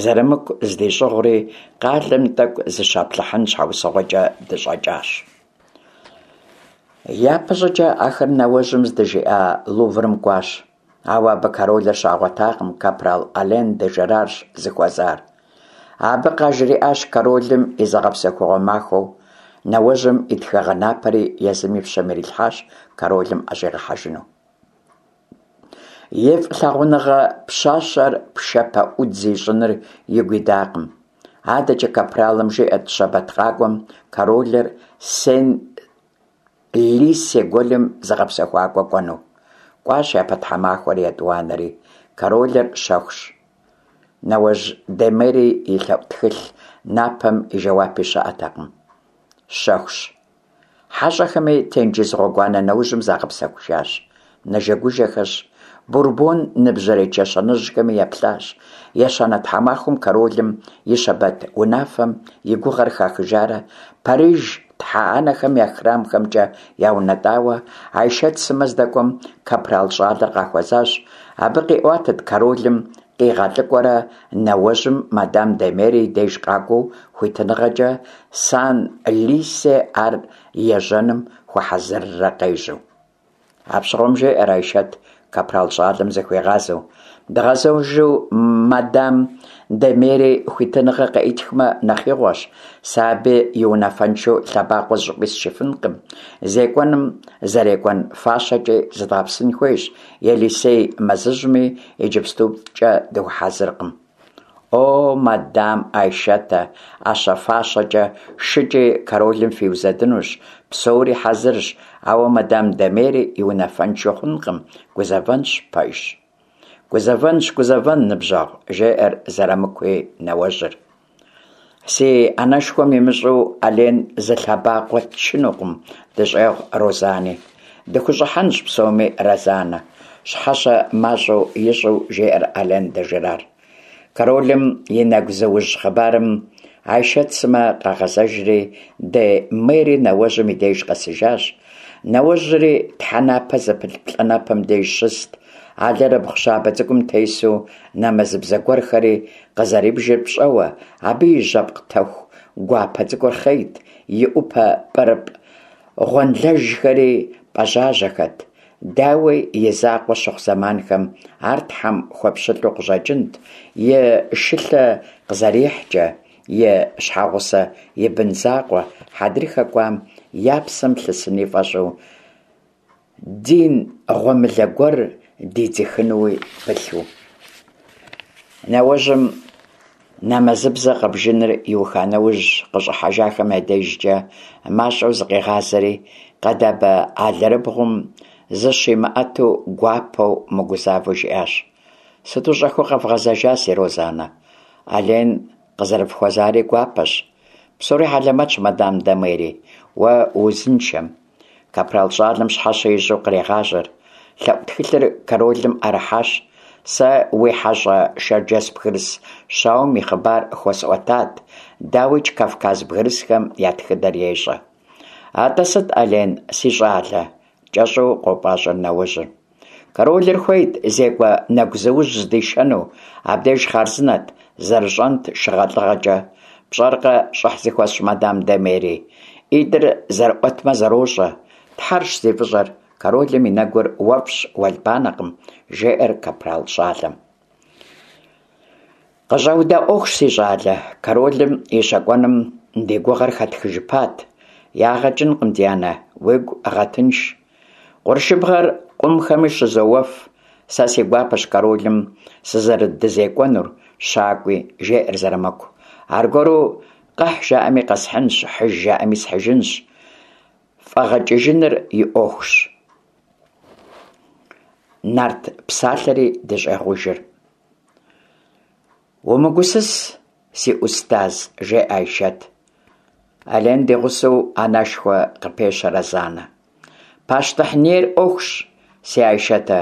Зырамыку здищӀыгъури, къалэм тӀэкӀу зыщаплъыхьын щхьэусыгъуэкӀэ дыщӀэкӀащ. ЯпэщӀыкӀэ ахэр нэуэжьым здыжиӀа Луврым кӀуащ. Ауэ абы королыр щагъуэтакъым, капрал Ален де Жерарщ зыхуэзар. Абы къажриӀащ королым и зыгъэпсэхугъуэ махуэу. Нэуэжьым и тхыгъэ напэри езым и пщэм ирилъхьащ королым ӀэщӀигъэхьэжыну. И фӀылъагъуныгъэ пщащэр пшапэӀудз ищӀыныр игу идакъым. АдэкӀэ капралым жиӀэт щэбэт къакӀуэм королыр Сен-Лиссе гуэлым зыгъэпсэхуакӀуэ кӀуэну. КӀуащ япэ тхьэмахуэри, етӀуанэри. Королыр щэхущ. Нэуэжь де Мери и лъэӀу тхылъ напэм и жэуапи щыӀэтэкъым. Щэхущ. ХьэщӀэхэми тенджыз гъуэгуанэ нэужьым загъэпсэхужащ. Нэжэгужэхэщ, Бурбон ныбжьэрей чэщанэжьхэми еплъащ. Ещанэ тхьэмахуэм королым и щэбэт унафэм и гугъэр хахыжарэ Париж Тхьэ Анэхэм я храмхэмкӀэ яунэтӀауэ Айшэт сымэ здэкӀуэм, капрал щӀалэр къахуэзащ. Абы къиӀуатэрт королым къигъэлӀыкӀуэрэ нэуэжьым мадам де Мерри и деж къакӀуэу хуитыныгъэкӀэ Сан-Лисе ар ежьэным хуэхьэзыррэ къежьэу. Апщыгъуэм жеӀэр Айшэт капрал щӀалэм зыхуигъазэу, дгъэзэжу мадам де Мерри хуитыныгъэ къеӀытхмэ нэхъ игъуэщ, сэ абы и унафэншэу лъэбакъуэ зыщӀыпӀи счыфынкъым, зекӀуэным зэрекӀун фащэкӀи зыдгъэпсын хуейщ, Елисей мэзыжьми иджыпстукӀэ дыхуэхьэзыркъым. О, мадам Айшэтэ, Ӏэщэ-фащэкӀи шыкӀи королым фиузэдынущ, псори хьэзырщ, ауэ мадам де Мерри и унафэншэу хъункъым, гузэвэнщ, пэжщ. Гузэвэнщ, гузэвэн, ныбжьэгъу, жеӀэр Зэрамыкуи нэуэжьыр. Си анэшхуэм имыщӀэу Ален зы лъэбакъуэ тчынукъым, дыщӀегъу Розани. ДыхущӀыхьэнщ псоми, Розанэ, щхьэщэ мащӀэу ищӀу жеӀэр Ален де Жерар. Королым и нэгузыужь хъыбарым Айшэт сымэ къагъэзэжри, де Мерри нэуэжьым и деж къэсыжащ. Нэуэжьри тхьэнапэ зыпылъ плӀанэпэм деж щыст, алэрыбгъу щабэ цӀыкӀум тесу нэмэзыбзэ гуэрхэри къызэрибжыр пщӀэуэ, абы и жьэпкъ тэху гуапэ цӀыкӀур хъейт, и Ӏупэ пӀырыпӀ гъуэнлэжхэри пӀэжьажьэхэт. Дауи, и закъуэ щыхъу зэманхэм ар Тхьэм хуэпщылӀу къыщӀэкӀынт, и шылъэ къызэрихькӀэ, и щхьэгъусэ, и бын закъуэ хьэдрыхэ кӀуам я псэм лъысыни фӀэщӀу, дин гъуэмылэ гуэр дидзыхынуи пылъу. Нэуэжьым нэмэзыбзэ къэбжыныр иуха нэужь, къыщӀыхьэжахэм я дежкӀэ мащӀэу зыкъигъазэри, къэдабэ алэрыбгъум зыщимыӀэту гуапэу, мыгузавэу жиӀащ: «Сыту щӀэхыу къэвгъэзэжа, си Розанэ? Ален къызэрыфхуэзари гуапэщ. Псори хьэлэмэтщ, мадам де Мерри, уэ уузыншэм». Капрал щӀалэм щхьэщэ ищӀу кърегъажьэр. ЛъэӀу тхылъыр королым Ӏэрыхьащ. Сэ уи хьэщӀэ шэрджэс бгырыс щауэм и хъыбар хуэсӀуэтат, дауикӀ, Кавказ бгырысхэм я тхыдэр ещӀэ. АтӀэ сыт, Ален, си щӀалэ? КӀэщӀу къопӀащӀэр нэуэжьыр. Королыр хуейт зекӀуэ нэгузыужь здишэну, абдеж хъарзынэт, зэрыщӀэнт шыгъэлӀыгъэкӀэ. ПщӀэркъэ, щӀыхь зыхуэсщӀ мадам де Мерри, ӀитӀыр зэрыӀуэтмэ зэрощӀэ. Тхьэрщ зи фӀыщӀэр, королым и нэгур уэфӀщ, уэлбанэкъым, жеӀэр капрал щӀалэм. КъыщӀэуда Ӏуэхущ, си щӀалэ, королым и щэкӀуэным ди гугъэр хэтхыжыпат. Ягъэ кӀынкъым, ди анэ, уигу гъэтынш. Къуршыбгъэр къумхэми щызоуэф. Сэ си гуапэщ королым сызэрыдызекӀуэнур, щакӀуи, жеӀэр Зэрамыку. Аргуэру къэхь жаӀэми къэсхьынщ, хьыж жаӀэми схьыжынщ. ФӀэгъэкӀыжыныр и Ӏуэхущ. Нарт псалъэри дыщӀегъужыр. Умыгусыс, си Ӏустаз, жеӀэ Айшэт. Ален ди гъусэу, анэшхуэ, къыпещэ Розанэ. Пащтыхь нейр Ӏуэхущ, си Айшэтэ,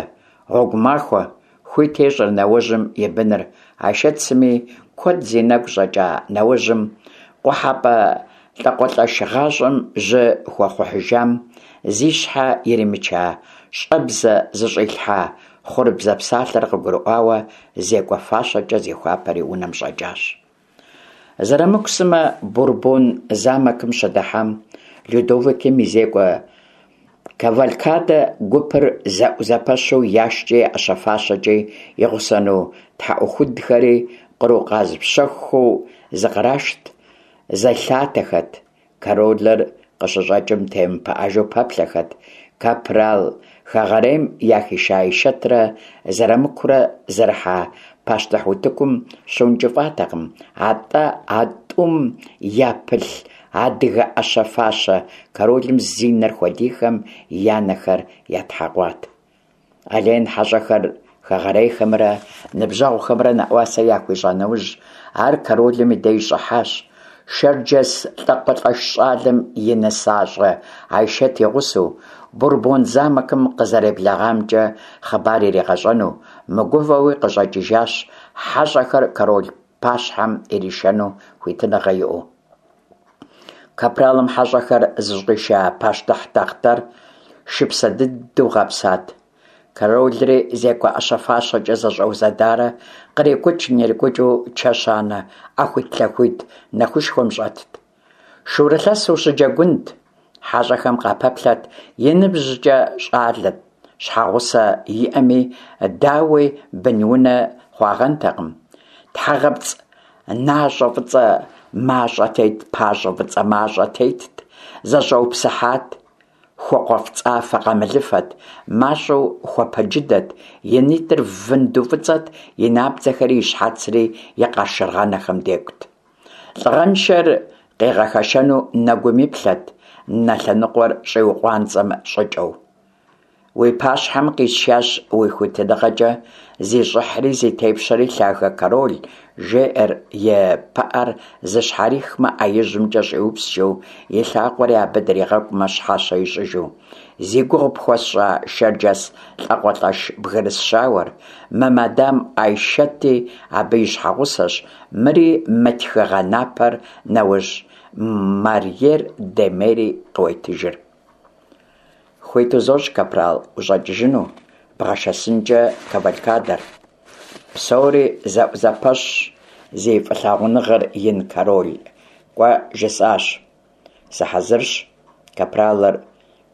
гъуэгу махуэ, хуит ещӀыр нэуэжьым и быныр. Айшэт сыми куэд зи нэгу щӀэкӀа нэуэжьым, къухьэпӀэ лӀакъуэлӀэш гъащӀэм жьы хуэхъухьыжам, зи щхьэ иримыча щӀэбзэ зыщӀилъхьа хъурыбзэ псалъэр къыгурыӀуауэ, зекӀуэ фащэкӀэ зихуапэри унэм щӀэкӀащ. Зэрамыку сымэ Бурбон замокым щыдыхьэм, Людовикым и зекӀуэ кавалькадэ гупыр зэӀузэпэщу яшкӀи я Ӏэщэ-фащэкӀи, и гъусэну тхьэӀухудхэри кърукъазпщэхухэу зыкърашт, зэлъатэхэт. Королыр къыщыщӀэкӀым темыпыӀэжу пэплъэхэт. Капрал хэгъэрейм яхиша Айшэтрэ Зэрамыкурэ зэрыхьа пащтыхь утыкум щыункӀыфӀатэкъым, атӀэ а тӀум япылъ адыгэ Ӏэщэ-фащэ королым зи нэр хуэдийхэм я нэхэр ятхьэкъуат. Ален хьэщӀэхэр хэгъэрейхэмрэ ныбжьэгъухэмрэ нэӀуасэ яхуищӀа нэужь, ар королым и деж щӀыхьащ. Шэрджэс лӀакъуэлӀэш щӀалэм и нысащӀэ Айшэт и гъусэу, Бурбон замокым къызэреблэгъамкӀэ хъыбар иригъэщӀэну, мыгувэуи къыщӀэкӀыжащ, хьэщӀэхэр король пащхьэм иришэну хуитыныгъэ иӀэу. Капралым хьэщӀэхэр зыщӀиша пащтыхь тахътэр шыпсэ дыдэу гъэпсат. Королри зекӀуэ Ӏэщэ-фащэкӀэ зэщӀэузэдарэ кърикӀукӀ-нрикӀукӀыу чэщанэ Ӏэхуитлъэхуит нэхушхуэм щӀэтт. Шурылъэс ущыджэгунт! ХьэщӀэхэм къапэплъэрт и ныбжькӀэ щӀалэт, щхьэгъусэ иӀэми, дауи, бын-унэ хъуагъэнтэкъым. ТхьэгъэпцӀ нащӀэ фӀыцӀэ мащӀэ тет, пащӀэ фӀыцӀэ мащӀэ тетт, зэщӀэупсыхьат, хуэкъуэфӀыцӀафэ-къамылыфэт, мащӀэу хуэпэджыдэт, и нитӀыр вынду фӀыцӀэт, и набдзэхэри и щхьэцри и къашыргъэнэхэм декӀут. ЛӀыгъэншэр къигъэхэшэну нэгум иплъэт, нэ лъэныкъуэр щӀиукъуанцӀэ щӀыкӀэу. Уи пащхьэм къисшащ уи хуитыныгъэкӀэ зи щӀыхьри зи тепщэри лъагэ король, жеӀэр и пыӀэр зыщхьэрихмэ, Ӏэ ижьымкӀэ щӀиупскӀэу, и лъакъуэри абы дригъэкӀумэ, щхьэщэ ищӀыжу. Зи гугъу пхуэсщӀа шэрджэс лӀакъуэлӀэш бгырыс щауэр, мы мадам Айшэти абы и щхьэгъусэщ, мыри, мы тхыгъэ напэр нэужь Марьер де Мери къыуетыжыр. Хуит узощӀ, капрал, ущӀэкӀыжыну, бгъэшэсынкӀэ кавалькадэр. Псори зэӀузэпэщщ, зи фӀылъагъуныгъэр ин король, кӀуэ жысӀащ. Сыхьэзырщ, капралыр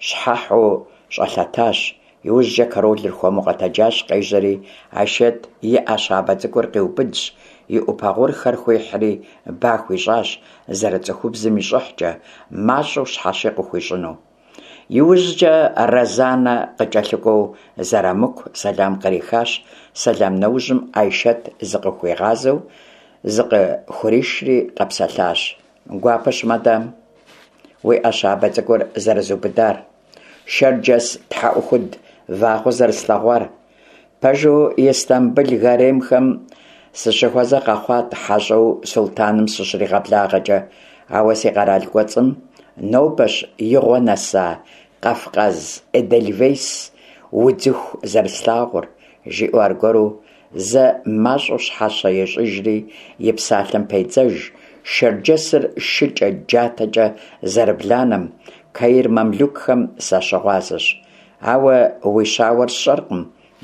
щхьэхьу щӀэлъэтащ, иужькӀэ королыр хуэму къэтэджащ, къежьэри, Айшэт и Ӏэ щабэ цӀыкӀур къиубыдщ, и Ӏупэ гъурхэр хуихьри ба хуищӀащ, зэрыцӀыхубзым и щӀыхькӀэ, мащӀэу щхьэщи къыхуищӀыну. ИужькӀэ Розанэ къыкӀэлъыкӀуэу Зэрамыку сэлам кърихащ, сэлам нэужьым Айшэт зыкъыхуигъазэу зыкъыхуришри къэпсэлъащ: «Гуапэщ, мадам, уи Ӏэ щабэ цӀыкӀур зэрызубыдар, шэрджэс тхьэӀухуд вагъуэ зэрыслъэгъуар. Пэжу, Истамбыл гаремхэм сыщыхуэзэ къэхъуат хьэщӀэу сулътӀаным сыщригъэблагъэкӀэ, ауэ си къэрал кӀуэцӀым нобэщ игъуэ нэса кавказ эдельвейс удзыху зэрыслъагъур», жиӀэу аргуэру зэ мащӀэу щхьэщэ ещӀыжри, и псалъэм педзэж: «Шэрджэсыр шыкӀэ, джатэкӀэ зэрыбланэм, каир мамлюкхэм сащыгъуазэщ. Ауэ уи щауэр сщӀэркъым,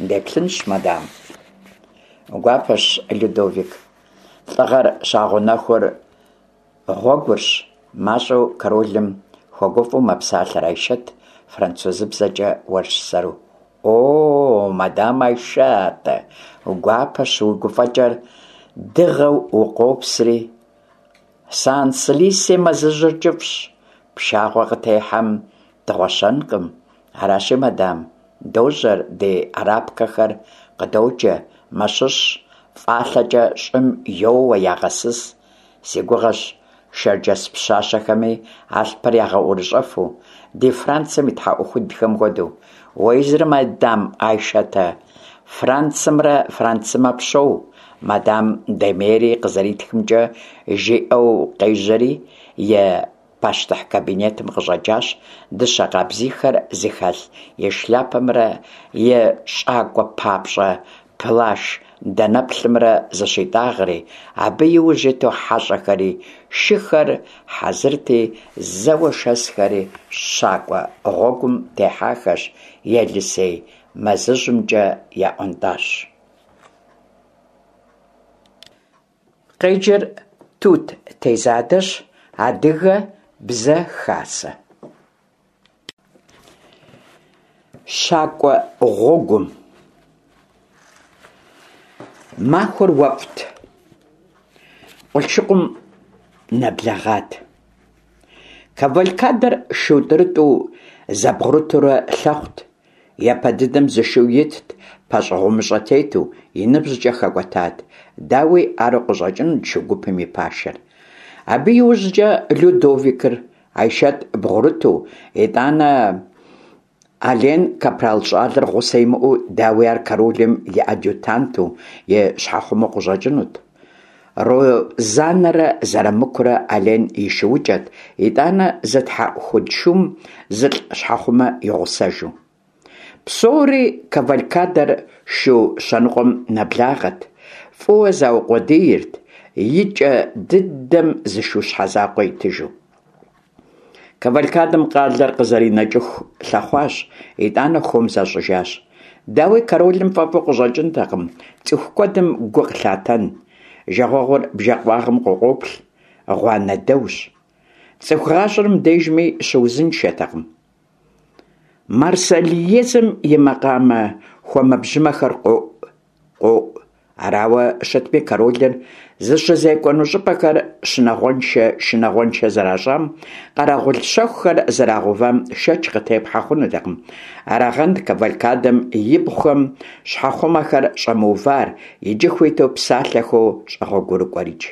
деплъынщ, мадам». Гуапэщ, Людовик. ЛӀыгъэр щагъэунэхур гъуэгурщ, мащӀэу королым хуэгуфӀэу мэпсалъэр Айшэт, французыбзэкӀэ уэрсэру. О, мадам Айшэт, гуапэщ уи гуфӀэкӀэр, дыгъэу укъопсри. Санс-Лисе мэзыжьыр кӀыфӀщ, пшагъуэ къытехьэм дыгъуэщэнкъым. Аращи, мадам, дожьэр, ди арапкэхэр къыдоджэ, мэщыщ, фӀалъэкӀэ щӀым йоуэ, ягъэсыс. Си гугъэщ шэрджэс пщащэхэми алъпыр ягъэӀурыщӀэфу, ди Францым и тхьэӀухудхэм хуэдэу. Уэ езыр, мадам Айшэтэ, Францымрэ францымэ пщоу, мадам де Мери къызэритхымкӀэ, жиӀэу къежьэри, и пащтыхь кабинетым къыщӀэкӀащ, дыщэ къабзийхэр зыхэлъ и шляпэмрэ и щӀакӀуэ папщӀэ плащ данэплъымрэ зыщитӀагъэри, абы и ужь иту хьэщӀэхэри, шыхэр хьэзырти, зэуэ шэсхэри щакӀуэ гъуэгум техьахэщ, Елисей мэзыжьымкӀэ яӀуэнтӀащ. Къеджэр Тут Тезадэщ, Адыгэ Бзэ Хасэ. Щакӏуэ гъуэгум. Махуэр уэфӀт, къулъшыкъум нэблэгъат. Кавалькадэр шу тӀурытӀу зэбгъурытурэ лъэхъут. Япэ дыдэм зы шу итт, пащӀэгъумыщӀэ тету, и ныбжькӀэ хэкӀуэтат. Дауи, ару къыщӀэкӀынут шу гупым и пашэр. Абы иужькӀэ Людовикыр, Айшэт бгъурыту, итӀанэ Ален капрал щӀалэр гъусэ имыӀэу, дауи, ар королым и адъютанту, и щхьэхъумэу къыщӀэкӀынут. Розанэрэ Зэрамыкурэ Ален и шуукӀэт, итӀанэ зы тхьэӀухуд шум зылӀ щхьэхъумэ и гъусэжу. Псори кавалькадэр шу щэныкъуэм нэблагъэт. ФӀыуэ заукъуэдийрт, и кӀэ дыдэм зы шу щхьэ закъуэ итыжу. Кавалькадэм къалэр къызэринэкӀыху лъэхъуащ, итӀанэ хуэм защӀыжащ. Дауи, королым фӀэфӀу къыщӀэкӀынтэкъым цӀыху куэдым гу къылъатэн. Жагъуэгъур бжэ къуагъым къыкъуоплъ, гъуанэдэущ. ЦӀыху гъащӀэр мыбдежми щыузыншэтэкъым. Марсельезэм и макъамэ хуэмэбжьымэхэр къоӀу, къоӀу. Арауэ щытми, королыр зыщызекӀуэну щӀыпӀэхэр щынагъуэншэ шынагъуэншэ зэращӀам, къэрэгъул щэхухэр зэрагъэувам шэч къытепхьэ хъунутэкъым. Арагъэнт кавалькадэм ибгъухэм щхьэхъумэхэр щӀэмыувар, иджы хуиту псалъэхэу щӀэгъуэгурыкӀуэрикӀ.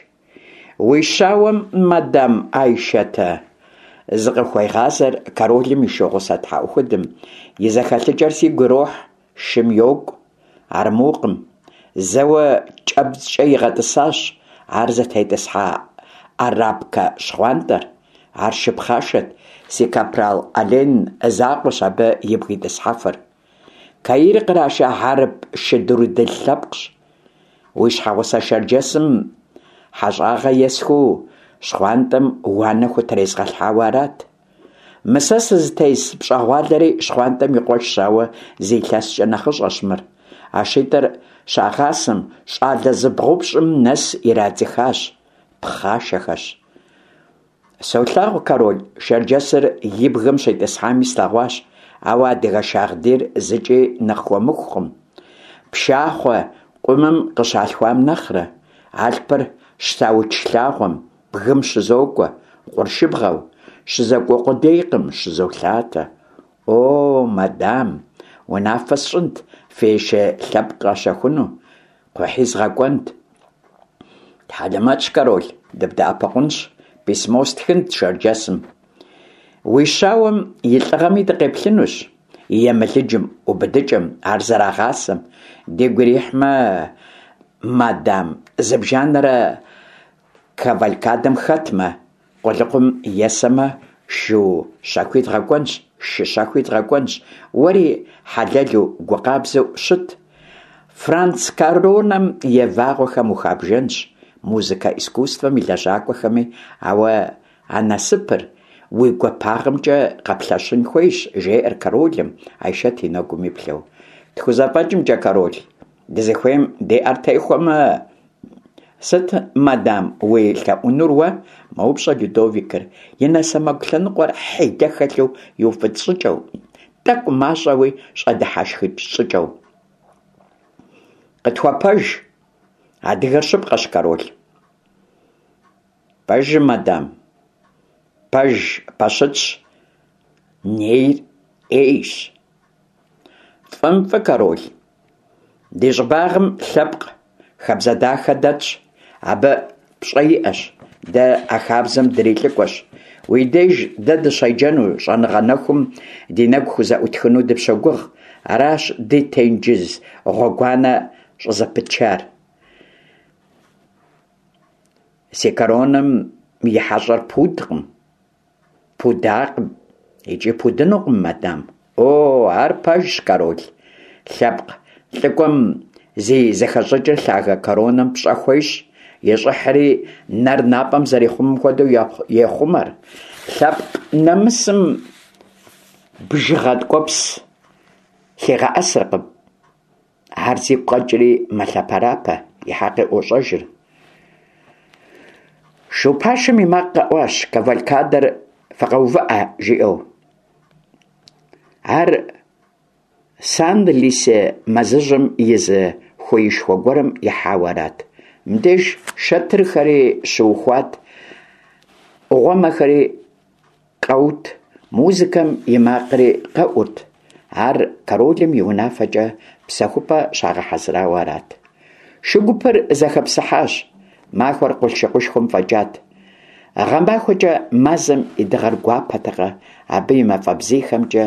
«Уи щауэм, мадам Айшэтэ, – зыкъыхуегъазэр королым и шу гъусэ тхьэӀухудым, – и зэхэлъыкӀэр сигу ирохь, шым йокӀу, армукъым. Зэуэ кӀэбдзкӀэ игъэтӀысащ ар зытетӀысхьа арабкэ щхъуантӀэр. Ар шы пхъашэт, си капрал Ален закъуэщ абы ибг итӀысхьэфыр. Каир къраша хьэрып шы дурыдыл лъэпкъщ. Уи щхьэгъусэ шэрджэсым хьэщӀагъэ есхыу щхъуантӀэм уанэ хутрезгъэлъхьауэ арат. Мы сэ сызытес пщӀэгъуалэри щхъуантӀэм и къуэшщ, ауэ зы илъэскӀэ нэхъыщӀэщ мыр. А шитӀыр щагъасэм, щӀалэ зыбгъупщӀым нэс ирадзыхащ. Пхъашэхэщ. Солъагъу, король, шэрджэсыр и бгым щитӀысхьами слъэгъуащ, ауэ адыгэ шагъдийр зыкӀи нэхъ хуэмыхукъым. Пшахъуэ къумым къыщалъхуам нэхърэ. Алъпыр щтауч лъагъуэм, бгым щызокӀуэ, къуршыбгъэу. ЩызекӀуэ къудейкъым, щызолъатэ. О, мадам, унафэ сщӀынт фи шы лъэпкъ къащэхуну, кхъухьи згъэкӀуэнт. Хьэлэмэтщ, король, дыбдэӀэпыкъунщ, письмо стхынт шэрджэсым. Уи щауэм и лӀыгъэми дыкъеплъынущ, и емылыджым, убыдыкӀэм, ар зэрагъасэм. Дигу ирихьмэ, мадам, зыбжанэрэ кавалькадэм хэтмэ, къулыкъум есэмэ, шу щэхуи дгъэкӀуэнщ, шы щэхуи дгъэкӀуэнщ, уэри хьэлэлу, гу къабзэу щыт. Франц коронэм и вагъуэхэм ухабжэнщ, музыкэ искусствэм и лэжьакӀуэхэми, ауэ а насыпыр уи гуапагъэмкӀэ къэплъэщын хуейщ, жеӀэр королым, Айшэт и нэгум иплъэу. ТхузэфӀэкӀымкӀэ, король, дызыхуейм ди Ӏэр техуэмэ… Сыт, мадам, уи лъэӀунур уэ? – мэупщӀэ Людовикыр, и нэ сэмэгу лъэныкъуэр хьилэ хэлъу иуфӀыцӀ щӀыкӀэу, тӀэкӀу мащӀэуи щӀэдыхьэшхыкӀ щӀыкӀэу. Къытхуэпэж? Адыгэр щыпкъэщ, король. Пэжым, мадам, пэж пэщытщ, нейр Ӏейщ. ФӀым фӀы, король. Ди щӀыбагъым лъэпкъ хабзэ дахэ дэтщ, абы пщӀэ иӀэщ, дэ а хабзэм дрилӀыкӀуэщ. Уи деж дэ дыщеджэну, щӀэныгъэ нэхум ди нэгу хузэӀутхыну дыпщогугъ. Аращ ди тенджыз гъуэгуанэ щӀызэпытчар. Си коронэм и хьэщӀэр пудкъым, пудакъым икӀи пудынукъым, мадам. О, ар пэжщ, король. Лъэпкъ лӀыкӀуэм зи зэхэщӀыкӀыр лъагэ коронэм пщӀэ хуещӀ, и щӀыхьри нэр напӀэм зэрихъумэм хуэдэу ехъумэр. Лъэпкъ нэмысым бжыгъэ ткӀуэпс лъигъэӀэсыркъым. Ар зигу къэкӀри мэлъэпэрапэ, и хьэкъи ӀуощӀэжыр. Шу пашэм и макъ къэӀуащ: «Кавалькадэр фыкъэувыӀэ!» – жиӀэу. Ар Санлисе мэзыжьым и зы хуеишхуэ гуэрым ихьауэ арат. Мыбдеж шэтырхэри щыухуат, Ӏугъуэмэхэри къэут, музыкэм и макъри къэӀурт. Ар королым и унафэкӀэ псэхупӀэ щагъэхьэзырауэ арат. Шу гупыр зэхэпсыхьащ. Махуэр къулъшыкъушхуэм фӀэкӀат. ГъэмахуэкӀэ мазэм и дыгъэр гуапэтэкъэ, абы и мафӀэ бзийхэмкӀэ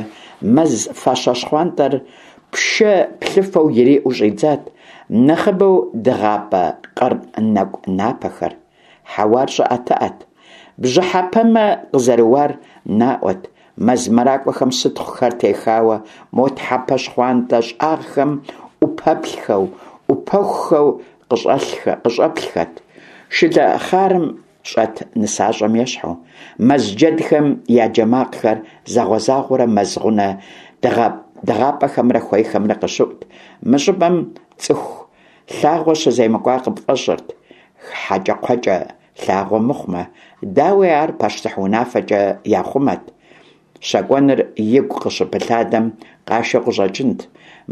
мэз фащэ щхъуантӀэр пшэ плъыфэу ириӏэу щӏидзат, нэхъыбэу дыгъапӏэ къыр нэкӏу напэхэр. Хьэуар щӏыӏэтыӏэт. Бжьыхьэпэмэ къызэрыуар наӏуэт, мэз мэракӏуэхэм сытхъухэр техауэ, мо тхьэмпэ щхъуантӏэ щӏагъхэм ӏупэплъхэу, ӏупэхухэу къыщӏэплъхэт, шылэхъарым щӏэт нысащӏэм ещхьу. Мэз джэдхэм я джэ макъхэр загъуэ-загъуэурэ мэз гъунэ дыгъапӏэхэмрэ хуейхэмрэ къыщыӏут. Мы щӏыпӏэм цӏыху лъагъуэ щыземыкӏуа къыпфӏэщӏырт, хьэкӏэкхъуэкӏэ лъагъуэ мыхъумэ. Дауи, ар пащтыхь унафэкӏэ яхъумэт. Щэкӏуэныр игу къыщыпылъадэм къашэу къыщӏэкӏынт.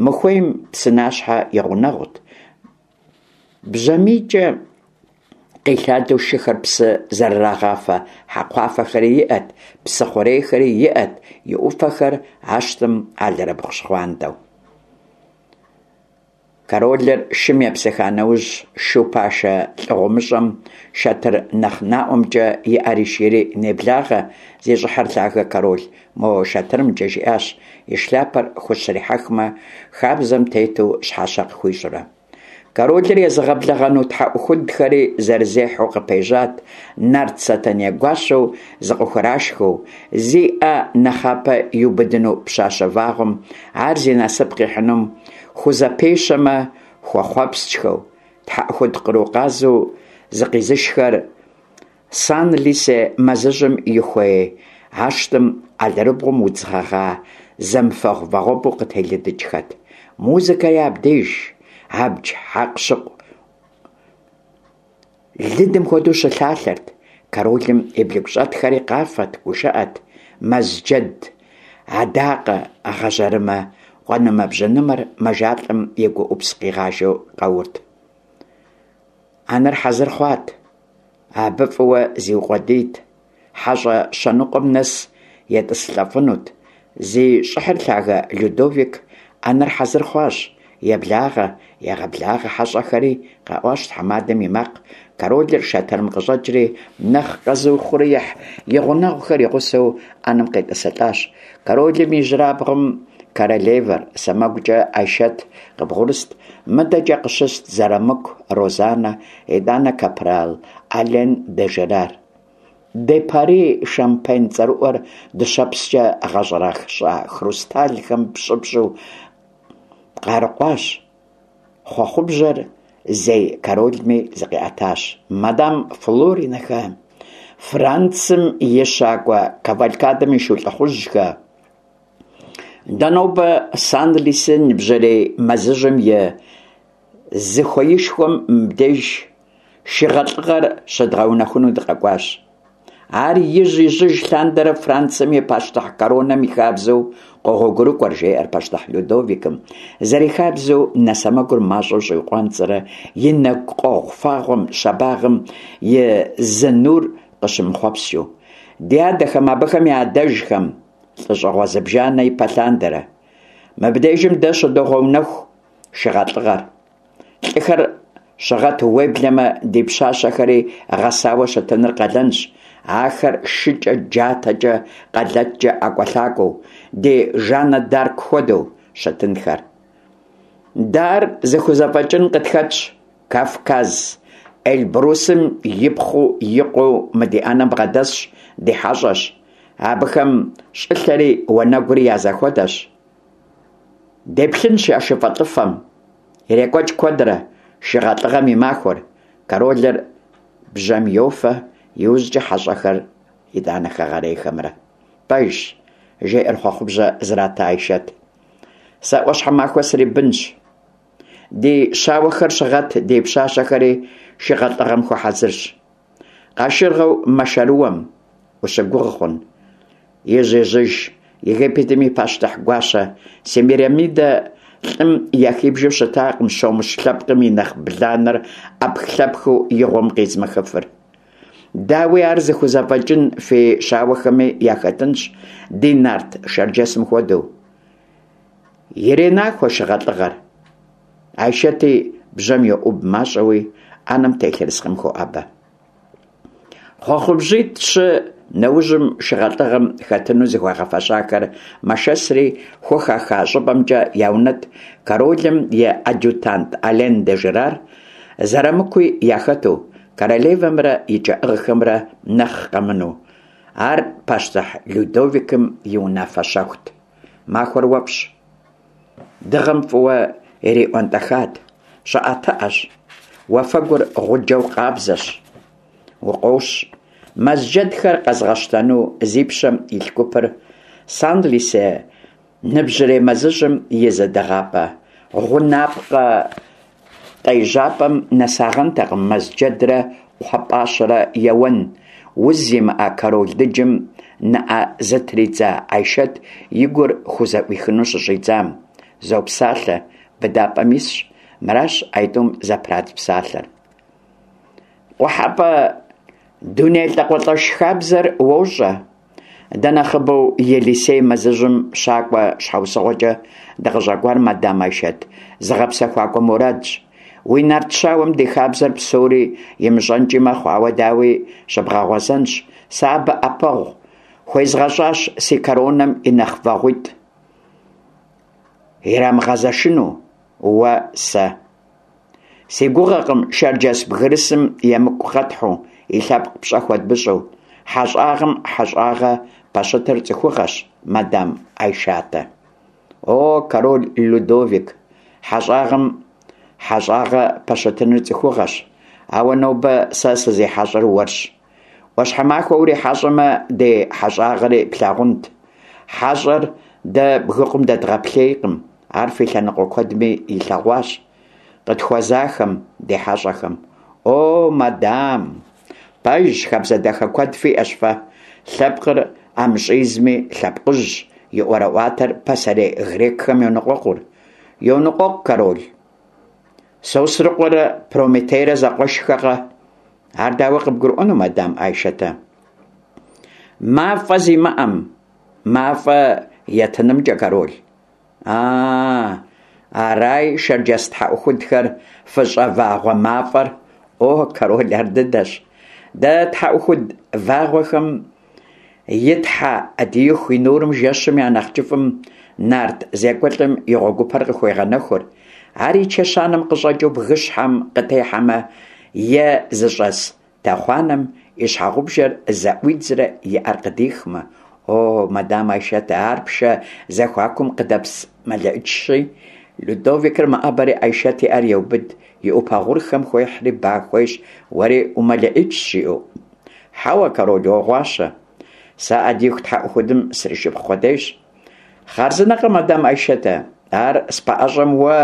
Мы хуейм псынащхьэ и гъунэгъут. Бжьамийкӏэ къилъадэу шыхэр псы зэрырагъафэ хьэкхъуафэхэри иӏэт, псы хъурейхэри иӏэт, и ӏуфэхэр ащтым алэрыбгъу щхъуантӏэу. Королыр шым епсыха нэужь, шу пашэ лӏыгъумыщӏэм шэтыр нэхъ наӏуэмкӏэ и ӏэр ишийри «Неблагъэ, зи щӏыхьыр лъагэ король, мо шэтырымкӏэ», жиӏащ, и шляпэр хущрихьэхмэ, хабзэм тету щхьэщэ къыхуищӏурэ. Королыр езыгъэблэгъэну тхьэӏухудхэри зэрызехьэу къыпежьат, нарт Сэтэней гуащэу зыкъыхурашхыу, зи ӏэ нэхъапэ иубыдыну пщащэ вагъуэм, ар зи насып къихьынум хузэпещэмэ, хуэхъуэпскӏхэу, тхьэӏухуд къру къазу зыкъизышхэр Санлисе мэзыжьым и хуей ащтым алэрыбгъум удз гъэгъа зэмыфэгъу вагъуэбэу къытелыдыкӏхэт. Музыкэри абдеж абдж хьэкъущыкъу лыдым хуэдэу щылъалъэрт. Королым и блыгущӏэтхэри къафэт, гушыӏэт. Мэз джэд адакъэ гъэжьэрымэ къуэнымэ-бжьэнымэр мэжалӏэм и гуӏупс къигъажэу къэурт. Ӏэнэр хьэзыр хъуат. Абы фӏыуэ зиукъуэдийт. Хьэщӏэ щэныкъуэм нэс етӏысылӏэфынут. Зи щӏыхьыр лъагэ Людовик, ӏэнэр хьэзыр хъуащ. Еблагъэ, егъэблагъэ хьэщӏэхэри, къэӏуащ тхьэмадэм и макъ. Королыр шэтырым къыщӏэкӏри, нэхъ къэзыухъуреихь и гъунэгъухэр и гъусэу ӏэнэм къетӏысылӏащ. Королым ижьырабгъум королевэр, сэмэгукӏэ Айшэт къыбгъурыст, мыдэкӏэ къыщыст Зэрамыку Розанэ, итӏанэ капрал Ален де Жерар. Де Пари шампань цӏэрыӏуэр дыщэпскӏэ гъэщӏэрэщӏа хрусталхэм пщӏыпщӏу къарыкъуащ. Хъуэхъубжьэр зей королми зыкъиӏэтащ. Мадам Флоринэхэ, Францым и щакӏуэ кавалькадэм и шу лӏыхъужьхэ! Дэ нобэ Санлисе ныбжьэрей мэзыжьым и зы хуеишхуэм мыбдеж шыгъэлӏыгъэр щыдгъэунэхуну дыкъэкӏуащ. Ар ижь-ижьыж лъандэрэ Францием и пащтыхь коронэм и хабзэу къогъуэгурыкӏуэр, жеӏэр пащтыхь Людовикым, зэрихабзэу нэ сэмэгур мащӏэу щӏиукъуанцӏэрэ и нэгу къуэгъу фагъуэм щабагъым и зы нур къыщымыхъуэпскӏыу. Ди адэхэм, абыхэм я адэжхэм лӏыщӏыгъуэ зыбжанэ ипэ лъандэрэ. Мыбдежым дэ щыдогъэунэху шыгъэлӏыгъэр. Лӏыхэр щыгъэту, уеблэмэ ди пщащэхэри гъэсауэ щытыныр къалэнщ. Ахэр шыкӏэ, джатэкӏэ, къалэткӏэ ӏэкӏуэлъакӏуэу, ди Жаннэ д'Арк хуэдэу щытынхэр. Дэ ар зыхузэфӏэкӏын къытхэтщ. Кавказ Эльбрусым ипхъуу и къуэу мы ди ӏэнэм бгъэдэсщ, ди хьэщӏэщ. Абыхэм щӏылъэри уанэгури я зэхуэдэщ. Деплъынщ я шыфэлӏыфэм. Ирекӏуэкӏ куэдрэ шыгъэлӏыгъэм и махуэр. Королыр бжьэм йофэ, иужькӏэ хьэщӏэхэр, итӏанэ хэгъэрейхэмрэ. Пэжщ, жеӏэр хъуэхъубжьэ зрата Айшэт. Сэ ӏуащхьэмахуэ срибынщ. Ди щауэхэр щыгъэт, ди пщащэхэри шыгъэлӏыгъэм хуэхьэзырщ. Къашыргъэу мэшэрыуэм ущыгугъ хъун. Ижь-ижьыж Египетым и пащтыхь гуащэ Семирамидэ лӏым яхибжэу щытакъым щомыщ лъэпкъым и нэхъ бланэр ӏэпхлъэпхыу и гъуэм къизмыхыфыр. Дауи, ар зыхузэфӏэкӏын фи щауэхэми яхэтынщ, ди нарт шэрджэсым хуэдэу. Иренахуэ шыгъэлӏыгъэр. Айшэти бжьэм йоӏуб мащӏэуи, ӏэнэм телъ ерыскъым хоӏэбэ. Хъуэхъубжьитӏ-щы Нэужьым шыгъэлӀыгъэм хэтыну зыхуагъэфэщахэр мэшэсри, хухаха щӀыпӀэмкӀэ яунэтӀ, королым и адъютант Ален де Жерар Зэрамыкуи яхэту, королевэмрэ и кӀэӀыгъхэмрэ нэхъ къэмынэу. Ар пащтыхь Людовикым и унафэ щэхут. Махуэр уэфӀщ. Дыгъэм фӀыуэ ириӀуэнтӀэхат, щӀыӀэтыӀэщ, уафэгур гъуджэу къабзэщ, укъощ. Мэз джэдхэр къэзыгъэщтэну зи пщэм илъ гупыр Санлисе ныбжьырей мэзыжьым и зы дыгъапӀэ гъунапкъэ къежьапӀэм нэсагъэнтэкъым мэз джэдрэ кхъуэпӀащэрэ еуэн, уз зимыӀэ король дыджым нэӀэ зытридза Айшэт и гур хузэӀуихыну щыщӀидзам. Зопсалъэ, быдапӀэм исщ. Мыращ аитӀум зэпрадз псалъэр. КъухьэпӀэ дуней лӀакъуэлӀэш хабзэр уощӀэ. Дэ нэхъыбэу Елисей мэзыжьым щакӀуэ щхьэусыгъуэкӀэ дыкъыщӀэкӀуар мадам Айшэт зыгъэпсэхуакӀуэ мурадщ. Уи нарт щауэм ди хабзэр псори имыщӀэнкӀи мэхъу, ауэ, дауи, щыбгъэгъуэзэнщ. Сэ абы Ӏэпэгъу хуезгъэщӀащ си коронэм и нэхъ вагъуитӀ. Ирамыгъэзэшыну уэ сэ. Си гугъэкъым шэрджэс бгырысым емыкӀу къэтхьу, и лъэпкъ пщӀэ хуэдмыщӀу. ХьэщӀагъэм хьэщӀагъэ пэщытыр цӀыхугъэщ, мадам Айшатэ. О, король Людовик, хьэщӀагъэм хьэщӀагъэ пэщытыныр цӀыхугъэщ, ауэ нобэ сэ сызихьэщӀэр уэрщ. Ӏуащхьэмахуэ урихьэщӀэмэ, ди хьэщӀагъэри плъагъунт. ХьэщӀэр дэ бгыкъум дэдгъэплъейкъым, ар фи лъэныкъуэ куэдми илъэгъуащ. Къытхуэзахэм, ди хьэщӀэхэм. О, мадам! Пэжщ, хабзэ дахэ куэд фиӀэщ фэ. Лъэпкъыр ӀэмыщӀизми, лъэпкъыжьщ, и ӀуэрыӀуатэр пасэрей грекхэм йоныкъуэкъур. Йоныкъуэкъу, король. Сосрыкъуэрэ Прометейрэ зэкъуэшхэкъэ? Ар дауэ къыбгурыӀуэну, мадам Айшэтэ? МафӀэ зимыӀэм мафӀэ етынымкӀэ, король. А, арай шэрджэс тхьэӀухудхэр фыщӀэвагъуэ мафӀэр. О, король, ар дыдэщ. Дэ тхьэӀухуд вагъуэхэм и тхьэ Ӏэдииху и нурым жэщым я нэхъ кӀыфӀым нарт зекӀуэлӀым и гъуэгупэр къыхуегъэнэхур. Ар и чэщанэм къыщӀэкӀыу бгыщхьэм къытехьэмэ е зыщӀэс тэхъуанэм и щхьэгъубжэр зэӀуидзрэ и Ӏэр къыдихмэ. О, мадам Айшэтэ, ар пшэ зэхуакум къыдэпс мэлэӀычщи. Людовикыр мэӀэбэри Айшэт и Ӏэр еубыд, и Ӏупэ гъурхэм хуехьри ба хуещӀ, уэри умэлэӀычщ, жиӀэу. Хьэуэ, король, уогъуащэ. Сэ Ӏэдииху тхьэӀухудым сришыпхъу къудейщ. Хъарзынэкъэ, мадам Айшэтэ, ар спэӀэщӀэм уэ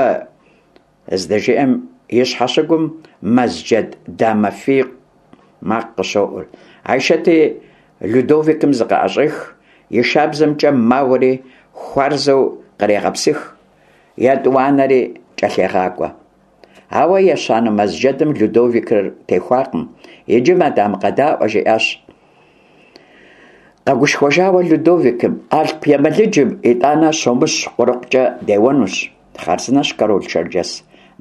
здэжиӀэм и щхьэщыгум мэз джэд дамэ фий макъ къыщоӀур. Айшэти Людовикым зыкъыӀэщӀех, и шабзэмкӀэ мауэри хуарзэу кърегъэпсых, етӀуанэри кӀэлъегъакӀуэ. Ауэ ещанэ мэз джэдым Людовикыр техуакъым. Иджы, мадам, къэдаӀуэ, жиӀащ къэгушхуэжауэ Людовикым, Алъп емылыджым итӀанэ щомыщ къурыкъукӀэ деуэнущ. Хъарзынэщ, король шэрджэс,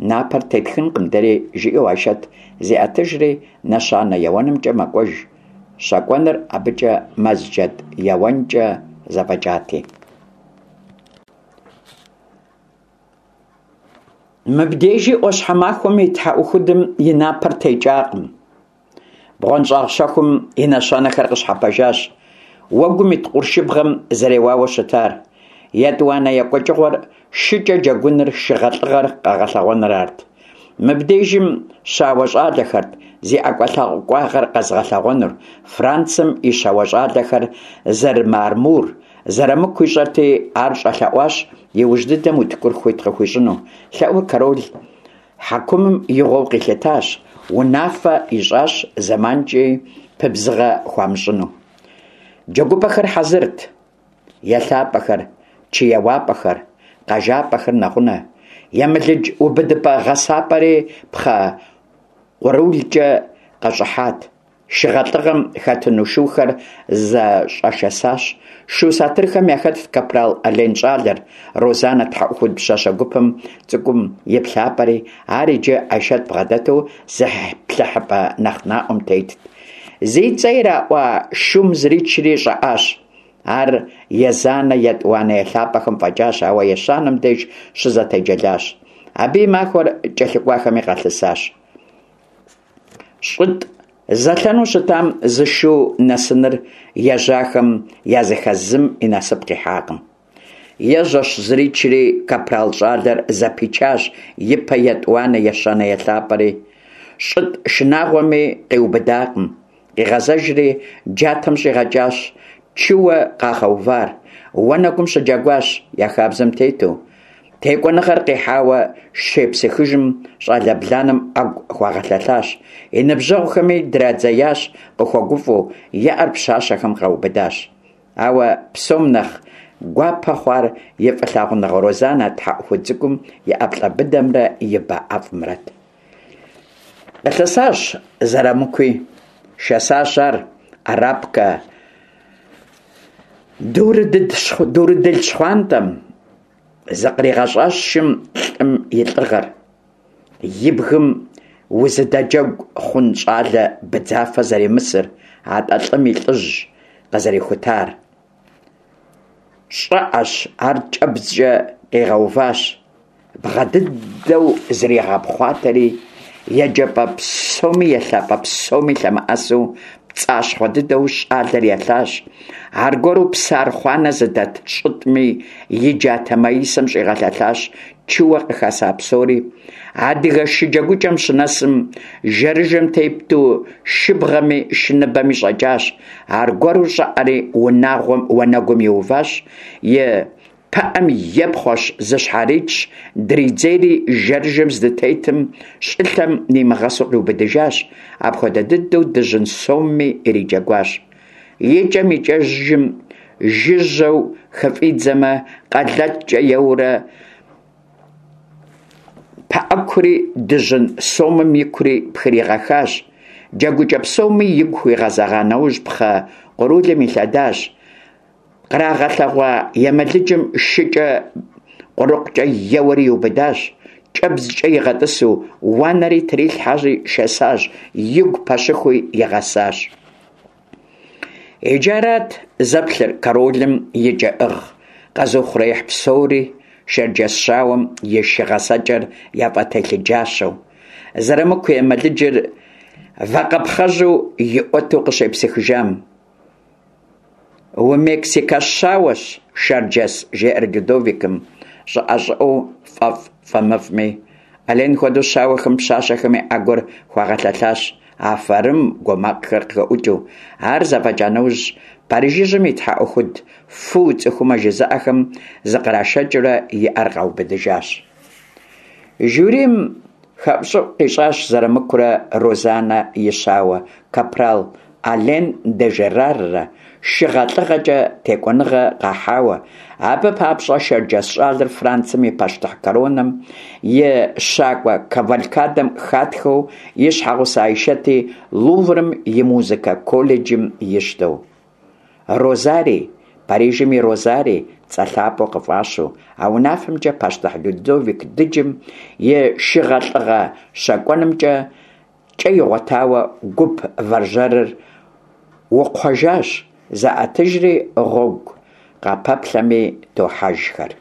напэр тетхынкъым дэри, жиӀэу Айшэт зеӀэтыжри нэщанэ еуэнымкӀэ мэкӀуэж. ЩэкӀуэныр абыкӀэ мэз джэд еуэнкӀэ зэфӀэкӀати. Мыбдежи Ӏуащхьэмахуэм и тхьэӀухудым и напэр текӀакъым. БгъуэнщӀагъ щэхум и нэщэнэхэр къыщхьэпэжащ, уэгум ит къуршыбгъэм зэреуауэ щытар. ЕтӀуанэ екӀуэкӀыгъуэр шыкӀэ джэгуныр, шыгъэлӀыгъэр къэгъэлъэгъуэныр арт. Мыбдежым щауэ щӀалэхэрт зи ӀэкӀуэлъакӀуагъэр къэзыгъэлъэгъуэнур, Францым и щауэ щӀалэхэр зэрымыармур Зэрамыку ищӀэрти, ар щӀэлъэӀуащ иужь дыдэм утыкур хуит къыхуищӀыну. ЛъэӀур король хьэкумым игъуэу къилъытащ, унафэ ищӀащ зэманкӀи пыбзыгъэ хуамыщӀыну. ДжэгупӀэхэр хьэзырт: елъапӀэхэр, чы еуапӀэхэр, къэжапӀэхэр нэгъунэ. Емылыдж убыдыпӀэ гъэсапӀэри пхъэ къурулкӀэ къэщӀыхьат. ШыгъэлӀыгъэм хэтыну шухэр зэщӀэшэсащ. Шу сатырхэм яхэтт капрал Ален щӀалэр, Розанэ тхьэӀухуд пщащэ гупым цӀыкӀум и плъапӀэри, ар иджы Айшэт бгъэдэту зыплъыхьыпӀэ нэхъ наӀуэм тетт. Зи цӀэ ираӀуа шум зричри щӀэӀащ. Ар езанэ, етӀуанэ елъапӀэхэм фӀэкӀащ, ауэ ещанэм деж щызэтеджэлащ. Абы и махуэр кӀэлъыкӀуахэми къалъысащ. ЩӀытӀ зэлъэну щытам зы шу нэсыныр ежьахэм языхэз зым и насып къихьакъым. Ежьэщ, зричри, капрал щӀалэр зэпичащ япэ, етӀуанэ, ещанэ елъапӀэри. ЩӀытӀ шынагъуэми къиубыдакъым. Къигъэзэжри, джатэм щӀигъэкӀащ чыуэ къагъэувар. Уанэгум щыджэгуащ, я хабзэм тету. ТекӀуэныгъэр къихьауэ щепсыхыжым, щӀалэ бланэм Ӏэгу хуагъэлъэлъащ, и ныбжьэгъухэми драдзеящ къыхуэгуфӀэу, и Ӏэр пщащэхэм къаубыдащ. Ауэ псом нэхъ гуапэ хъуар и фӀылъагъуныгъэ Розанэ тхьэӀухуд цӀыкӀум и ӀэплӀэ быдэмрэ и ба ӀэфӀымрэт. Къылъысащ Зырамыкуи. Шэсащ ар арабкэ дурыдыл щхъуантӀэм. ЗыкъригъэщӀащ шым лӀым и лӀыгъэр, и бгым узыдэджэгу хъун щӀалэ быдзафэ зэримысыр, атӀэ лӀым и лӀыжь къызэрихутар. ЩӀыӀэщ, ар кӀэбдзкӀэ къигъэуващ. Бгъэ дыдэу зригъэпхъуатэри, еджапӀэ псоми елъапӀэ псоми лъэмыӀэсу, пцӀащхъуэ дыдэу щӀалэр елъащ. Аргуэру псы архъуанэ зыдэт щӀытӀми и джатэ маисэм щӀигъэлъэлъащ чыуэ къыхэса псори. Адыгэ шы джэгукӀэм щынэсым, жэрыжэм тету шыбгъэми шыныбэми щӀэкӀащ. Аргуэру щӀэӀэри унагъуэм уанэгум иуващ, и пыӀэм епхъуэщ, зыщхьэричщ, дридзейри жэрыжэм здытетым щӀылъэм нимыгъэсу къиубыдыжащ. Апхуэдэ дыдэу дыжьын сомми ириджэгуащ. ИкӀэм-икӀэжым, жыжьэу хыфӀидзэмэ, къэлэткӀэ еуэурэ пыӀэкури дыжьын сомым икури пхригъэхащ. ДжэгукӀэ псоми игу хуигъэзэгъа нэужь, пхъэ къурулым илъэдащ. Кърагъэлъэгъуа емылыджым шыкӀэ къурыкъукӀэ еуэри иубыдащ. КӀэбдзкӀэ игъэтӀысу, уанэри трилъхьэри шэсащ, игу пэщыхуи игъэсащ. Иджы арат зэплъыр королым и кӀэӀыгъ къэзыухъуреихь псори, шэрджэс щауэм и шы гъэсэкӀэр яфӀэтелъыджащэу. Зырамыку емылыджыр вакъэпхъэжьу иӀуэту къыщепсыхыжам. «Умексикэ щауэщ, шэрджэс», – жеӀэр Людовикым, щӀыӀэ-щӀыӀэу, фӀэфӀ-фӀэмыфӀми. Ален хуэдэу щауэхэм пщащэхэми Ӏэгур хуагъэлъэлъащ, «Афэрым!» гуо макъхэр къыхэӀукӀыу. Ар зэфӀэкӀа нэужь, Парижыжьым и тхьэӀухуд «Фу, цӀыхумэ!» жызыӀэхэм зыкърашэкӀыурэ и Ӏэр къаубыдыжащ. Жюрим хэӀущӀыӀу къищӀащ Зырамыкурэ Розанэ и щауэ капрал Ален де Жераррэ шыгъэ-лӀыгъэкӀэ текӀуэныгъэ къахьауэ, абы папщӀэ шэрджэс щӀалэр Францием и пащтыхь коронэм и щакӀуэ кавалькадэм хатхэу, и щхьэгъусэ Айшэти Луврым и музыкэ колледжым ищтэу. Розарий, Парижым и Розарий цӀэ лъапӀэу къыфӀащу, а унафэмкӀэ пащтыхь Людовик дыджым и шыгъэ-лӀыгъэ щэкӀуэнымкӀэ кӀэ игъуэтауэ, гуп вэржьэрыр укхъуэжащ, заӀэтыжри гъуэгу къапэплъэми тохьэжхэр.